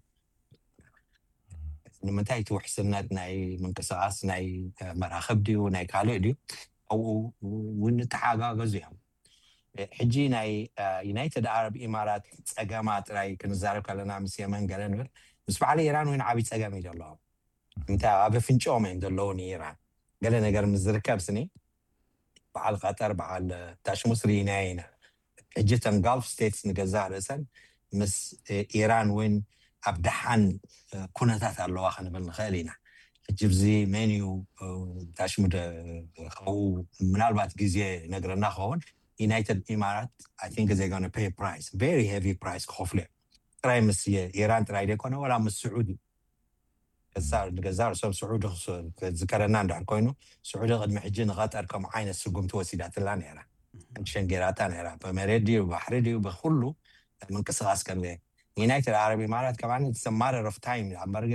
ንምንታይ እቲ ውሕስነት ናይ ምንቅስቃስ ናይ መራክብ ድዩ ናይ ካልእ ድዩ ኣብኡ እውን ተሓጋገዙ እዮም። ሕጂ ናይ ዩናይትድ ዓረብ ኢማራት ፀገማ ጥራይ ክንዛረብ ከለና ምስ የመን ገለ ንብል ምስ በዓል ኢራን እውን ዓብዪ ፀገም እዩ ዘለዎም። እንታይ ኣብ ኣፍንጭኦም እዮም ዘለዉ ንኢራን ገለ ነገር ምስ ዝርከብ ስኒ በዓል ቀጠር በዓል ታሽሙስ ርኢናዮ ኢና። ሕጂ እተን ጋልፍ ስቴትስ ንገዛእ ርእሰን ምስ ኢራን እውን ኣብ ደሓን ኩነታት ኣለዋ ክንብል ንኽእል ኢና። ሕጂ ብዚ መን እዩ ታሽሙ ካብኡ ምናልባት ግዜ ነግረና ክኸውን ዩናይትድ ኢማራት I think they gonna pay price very heavy price ክኸፍሉ እዮም። ጥራይ ምስ ኢራን ጥራይ ዘይኮነ ወላ ምስ ስዑዲ ንገዛ ርእሶም ስዑዲ ዝከረና እንድሕር ኮይኑ ስዑዲ ቅድሚ ሕጂ ንቐጠር ከም ዓይነት ስጉምቲ ወሲዳትላ ነይራ። ሸንጌራታ ነይራ ብመሬት ድዩ ባሕሪ ድዩ ብኩሉ ምንቅስቃስ ከም ዩናይትድ ዓረብ ኢማራት ከማን it's a matter of time ኣብ መርገ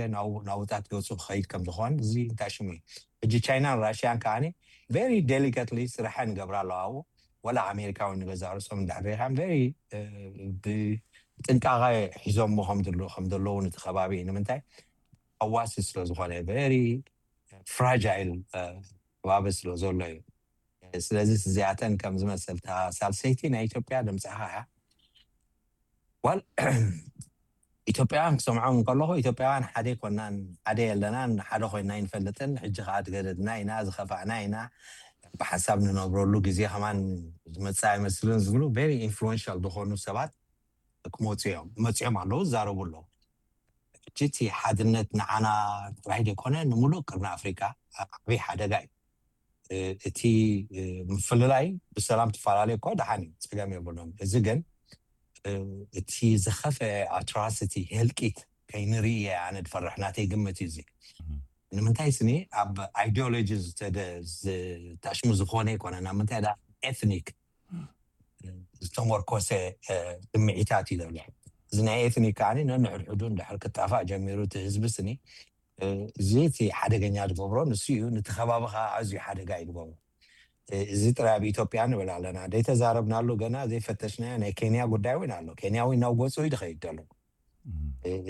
ናውጣት ገፁ ክኸይድ ከም ዝኾን እዚ እንታይ ሽሙ እዩ። ሕጂ ቻይናን ራሽያን ከዓኒ very delicately ስራሐን ይገብራ ኣለዋ ኣብኡ ወላ ኣሜሪካዊ ንገዛ ርእሶም እንድሕር ሪኢኻም very ብጥንቃቐ ሒዞሞ ከም ዘለዉ ነቲ ከባቢ እዩ። ንምንታይ ሃዋሲ ስለ ዝኾነ very fragile ከባቢ ስለ ዘሎ እዩ። ስለዚ እዚኣተን ከም ዝመሰልታ ሳልሰይቲ ናይ ኢትዮጵያ ድምፅኻ እያ። ዋል ኢትዮጵያውያን ክሰምዖም እንከለኹ ኢትዮጵያውያን ሓደ ኣይኮናን፣ ሓደ የለናን፣ ሓደ ኮይና ኣይንፈልጥን። ሕጂ ከዓ ትገደድና ኢና፣ ዝኸፋእና ኢና፣ ብሓሳብ ንነብረሉ ግዜ ከማን ዝመፅእ ኣይመስልን ዝብሉ very influential ዝኾኑ ሰባት ክመፁ እዮም፣ መፂኦም ኣለዉ፣ ይዛረቡ ኣለዉ። ሕጂ እቲ ሓድነት ንዓና ጥራይ ዘይኮነ ንምሉእ ቅርኒ ኣፍሪካ ዓብዪ ሓደጋ እዩ። እቲ ምፍልላይ ብሰላም ትፈላለዩ እኮ ደሓን እዩ፣ ፀገም የብሉን። እዚ ግን እቲ ዝኸፈ ኣትራሲቲ ህልቂት ከይንርኢ እየ ኣነ ዝፈርሕ፣ ናተይ ግምት እዩ እዚ። ንምንታይ ስኒ ኣብ ኣይዲዮሎጂ ዝተሽሙ ዝኾነ ኣይኮነ ናብ ምንታይ ዳ ኤትኒክ ዝተመርኮሰ ስምዒታት እዩ ዘሎ። እዚ ናይ ኤትኒክ ከዓኒ ነንሕድሕዱ እንድሕር ክጣፋእ ጀሚሩ እቲ ህዝቢ ስኒ፣ እዚ እቲ ሓደገኛ ዝገብሮ ንሱ እዩ። ነቲ ከባቢ ከዓ ኣዝዩ ሓደጋ እዩ ዝገብሮ። እዚ ጥራይ ኣብ ኢትዮጵያ ንብል ኣለና ዘይተዛረብናሉ፣ ገና ዘይፈተሽናዮ ናይ ኬንያ ጉዳይ እውን ኣሎ። ኬንያ እውን ናብ ገፁ እዩ ዝኸይድ ዘሎ።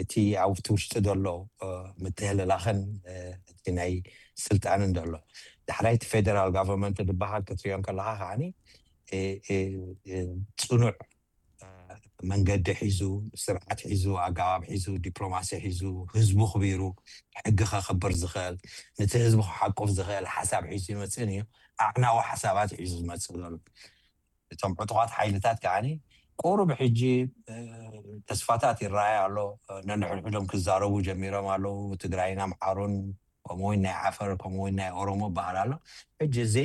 እቲ ኣብቲ ውሽጢ ዘሎ ምትህልላኽን እቲ ናይ ስልጣንን ዘሎ፣ ዳሕራይ እቲ ፌደራል ጋቨርንመንት ዝበሃል ክትሪኦ ከለካ ከዓኒ ፅኑዕ መንገዲ ሒዙ፣ ስርዓት ሒዙ፣ ኣገባብ ሒዙ፣ ዲፕሎማሲ ሒዙ፣ ህዝቡ ክቢሩ፣ ሕጊ ከኽብር ዝኽእል፣ ነቲ ህዝቡ ክሓቁፍ ዝኽእል ሓሳብ ሒዙ ይመፅእን እዩ። ኣዕናዊ ሓሳባት ሒዙ ዝመፅእ ዘሎ። እቶም ዕጡቓት ሓይልታት ከዓኒ ቁሩብ ሕጂ ተስፋታት ይረኣይ ኣሎ። ነንሕድሕዶም ክዛረቡ ጀሚሮም ኣለዉ። ትግራይን ኣምሓሩን ከምኡ እውን ናይ ዓፈር ከምኡ እውን ናይ ኦሮሞ በሃል ኣሎ። ሕጂ እዚ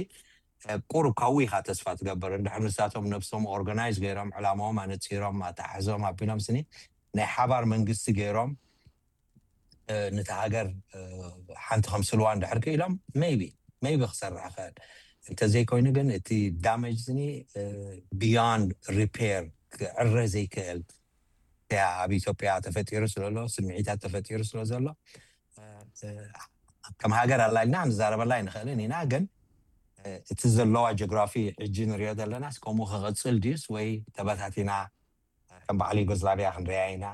ቁሩብ ካብኡ ኢኻ ተስፋ ትገብር። እንድሕር ንሳቶም ነብሶም ኦርጋናይዝ ገይሮም ዕላማኦም ኣነፂሮም ኣተሓሕዞም ኣቢሎም ስኒ ናይ ሓባር መንግስቲ ገይሮም ነቲ ሃገር ሓንቲ ከምስልዋ እንድሕር ክኢሎም ሜይቢ ሜይቢ ክሰርሕ ይኽእል። እንተዘይኮይኑ ግን እቲ ዳመጅ ስኒ ብዮንድ ሪፔር ክዕረ ዘይክእል እያ ኣብ ኢትዮጵያ ተፈጢሩ ስለሎ ስምዒታት ተፈጢሩ ስለ ዘሎ ከም ሃገር ኣላልና ክንዛረበላ ኣይንኽእልን ኢና። ግን እቲ ዘለዋ ጂኦግራፊ ሕጂ ንሪኦ ዘለና ከምኡ ክቕፅል ድዩስ ወይ ተበታቲና ከም በዓል ዩጎዝላቪያ ክንሪኣ ኢና።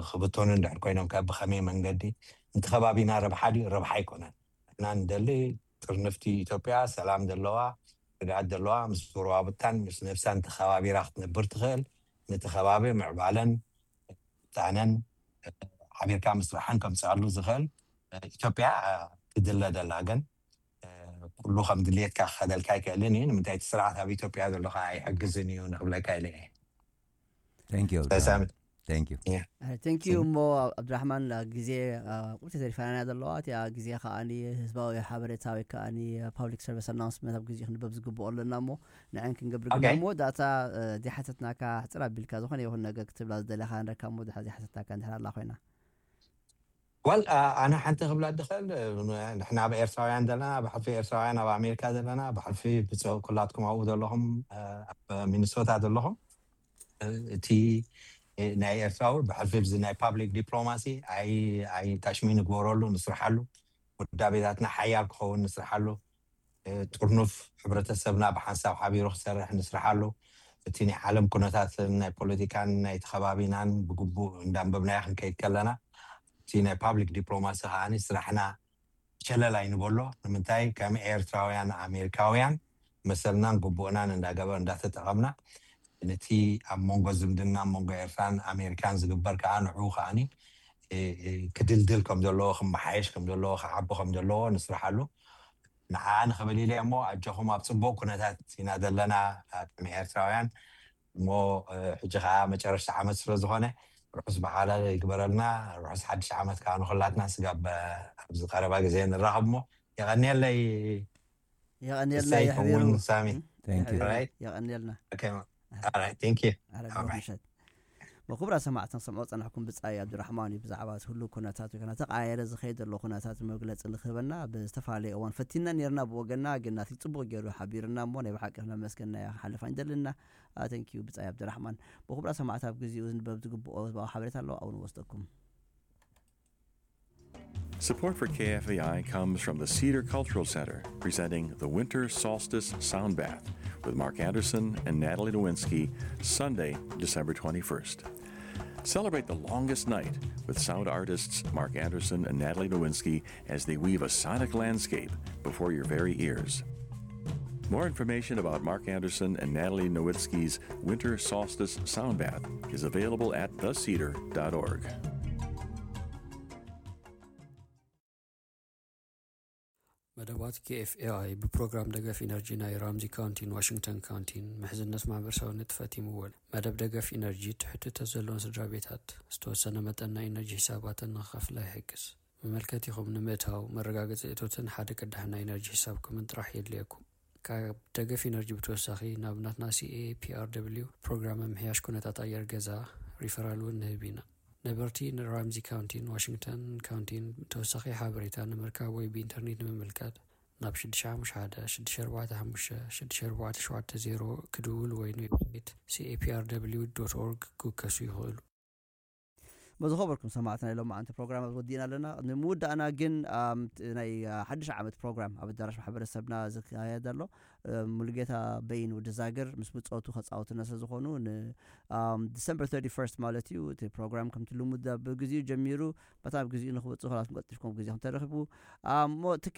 ክብተኑ እንድሕር ኮይኖም ከ ብኸመይ መንገዲ? ነቲ ከባቢና ረብሓ ድዩ ረብሓ ኣይኮነን። ንሕና ንደሊ ጥርንፍቲ ኢትዮጵያ ሰላም ዘለዋ ርግኣት ዘለዋ ምስ ጎረባብታን ምስ ነብሳን ተኸባቢራ ክትነብር ትኽእል፣ ነቲ ከባቢ ምዕባለን ምጣነን ሓቢርካ ምስራሕን ከምፅኣሉ ዝኽእል ኢትዮጵያ ትድለ ደላ። ግን ኩሉ ከም ድልየትካ ክኸደልካ ኣይክእልን እዩ። ንምንታይ እቲ ስርዓት ኣብ ኢትዮጵያ ዘሎ ከዓ ኣይሕግዝን እዩ ንክብለካ ኢለ እየ። Thank you. Thank you. Thank you እሞ ኣብድራሕማን ግዜ ቁርቲ ተሪፋና ዘለዋ እቲኣ ግዜ ከዓኒ ህዝባዊ ሓበሬታ ወይ ከዓኒ ፓብሊክ ሰርቪስ ኣናውንስመንት ኣብ ግዜ ክንበብ ዝግብኦ ኣለና እሞ ንዐን ክንገብር ግና እሞ ዳታ ዘይሓተትናካ ሕፅር ኣቢልካ ዝኾነ ይኹን ነገር ክትብላ ዝደለካ ንረካ እሞ ድሓ ዘይሓተትናካ እንድሕር ኣላ ኮይና ዋል ኣነ ሓንቲ ክብላ ድኽእል ንሕና ኣብ ኤርትራውያን ዘለና ብሕልፊ ኤርትራውያን ኣብ ኣሜሪካ ዘለና ብሕልፊ ብፅእ ኩላትኩም ኣብኡ ዘለኹም ኣብ ሚኒሶታ ዘለኹም እቲ ናይ ኤርትራዊ ብሕልፊ ብዚ ናይ ፓብሊክ ዲፕሎማሲ ኣይ ታሽሚ ንግበረሉ ንስርሓሉ ውዳቤታትና ሓያል ክኸውን ንስርሓሉ ጥርኑፍ ሕብረተሰብና ብሓንሳብ ሓቢሩ ክሰርሕ ንስርሓሉ እቲ ናይ ዓለም ኩነታትን ናይ ፖለቲካን ናይቲ ከባቢናን ብግቡእ እንዳንበብናዮ ክንከይድ ከለና እቲ ናይ ፓብሊክ ዲፕሎማሲ ከዓኒ ስራሕና ሸለል ኣይንበሎ ንምንታይ ከም ኤርትራውያን ኣሜሪካውያን መሰልናን ግቡእናን እንዳገበር እንዳተጠቐምና ነቲ ኣብ መንጎ ዝምድና ኣብ መንጎ ኤርትራን ኣሜሪካን ዝግበር ከዓ ንዕኡ ከዓኒ ክድልድል ከም ዘለዎ ክመሓየሽ ከም ዘለዎ ክዓቢ ከም ዘለዎ ንስርሓሉ ንዓ ንኽብል ኢለ እሞ ኣጆኹም ኣብ ፅቡቅ ኩነታት ኢና ዘለና ከም ኤርትራውያን እሞ ሕጂ ከዓ መጨረሽቲ ዓመት ስለ ዝኾነ ርሑስ በዓል ይግበረልና ርሑስ ሓድሽ ዓመት ከዓ ንኩላትና ስጋብ ኣብዚ ቀረባ ግዜ ንራኸብ እሞ የቐንየለይ የቐንየልና ይሕቢሩ ሳሚ የቐንየልና ቴንክ ዩ ምሸት መኩብራ ሰማዕቲ ንሰምዖ ፀናሕኩም ብፃይ ኣብድራሕማን እዩ ብዛዕባ እቲ ህሉ ኩነታት ወይ ተቃየረ ዝኸይድ ዘሎ ኩነታት መግለፂ ንክህበና ብዝተፈላለየ እዋን ፈቲና ነርና ብወገና ግን ናቲ ፅቡቅ ገይሩ ሓቢርና እሞ ናይ ብሓቂ ክነመስገና ክሓልፍ ኣይንደልና ቴንክ ዩ ብፃይ ኣብድራሕማን መኩብራ ሰማዕቲ ኣብ ግዜኡ ዝንበብ ዝግብኦ ህዝባዊ ሓበሬታ ኣለዋ ኣብኡ ንወስደኩም Support for K F A I comes from the Cedar Cultural Center, presenting the Winter Solstice Sound Bath with Mark Anderson and Natalie Nowinski, Sunday, December twenty-first. Celebrate the longest night with sound artists Mark Anderson and Natalie Nowinski as they weave a sonic landscape before your very ears. More information about Mark Anderson and Natalie Nowinski's Winter Solstice Sound Bath is available at the cedar dot org. መደባት ኬኤፍኤኣይ ብፕሮግራም ደገፍ ኢነርጂ ናይ ራምዚ ካውንቲን ዋሽንግተን ካውንቲን ምሕዝነት ማህበረሰባዊ ንጥፈት ይምወል። መደብ ደገፍ ኢነርጂ ትሕትቶ ዘለዎም ስድራ ቤታት ዝተወሰነ መጠን ናይ ኢነርጂ ሒሳባተን ንክኸፍላ ይሕግዝ። መመልከቲኹም ንምእታው መረጋገፂ እቶትን ሓደ ቅዳሕ ናይ ኢነርጂ ሒሳብኩምን ጥራሕ የድልየኩም። ካብ ደገፍ ኢነርጂ ብተወሳኺ ናብ ናትና CAPRW ፕሮግራም ምምሕያሽ ኩነታት ኣየር ገዛ ሪፈራል እውን ንህብ ኢና። ነበርቲ ንራምዚ ካውንቲን ዋሽንግተን ካውንቲን ተወሳኺ ሓበሬታ ንምርካብ ወይ ብኢንተርኔት ንምምልካት ናብ ሽዱሽተ ሓሙሽተ ሓደ ሽዱሽተ ኣርባዕተ ሓሙሽተ ሽዱሽተ ኣርባዕተ ሸውዓተ ዜሮ ክድውሉ ወይ ንዌብሳይት CAPRW dot org ክውከሱ ይኽእሉ። ዝኸበርኩም ሰማዕትና፣ ኢሎም መዓንቲ ፕሮግራም ወዲእና ኣለና። ንምውዳእና ግን ኣም፣ ት- ናይ አ፣ ሓድሽ ዓመት ፕሮግራም ኣብ ኣዳራሽ ማሕበረሰብና ዝካየድ ኣሎ። እ፣ ሙሉጌታ በይን ወዲ ዛግር ምስ ብፆቱ ከፃወቱና ስለ ዝኾኑ፣ ን ኣም፣ ዲሰምበር ተርቲ ፈርስት ማለት እዩ። እቲ ፕሮግራም ከምቲ ልሙድ ኣብ ግዜኡ ጀሚሩ፣ በታ ኣብ ግዜኡ ንክወፅእ፣ ከላትኩም ቀልጢፍኩም ግዜ ከምተረኽቡ። ኣም፣ እሞ ትኪ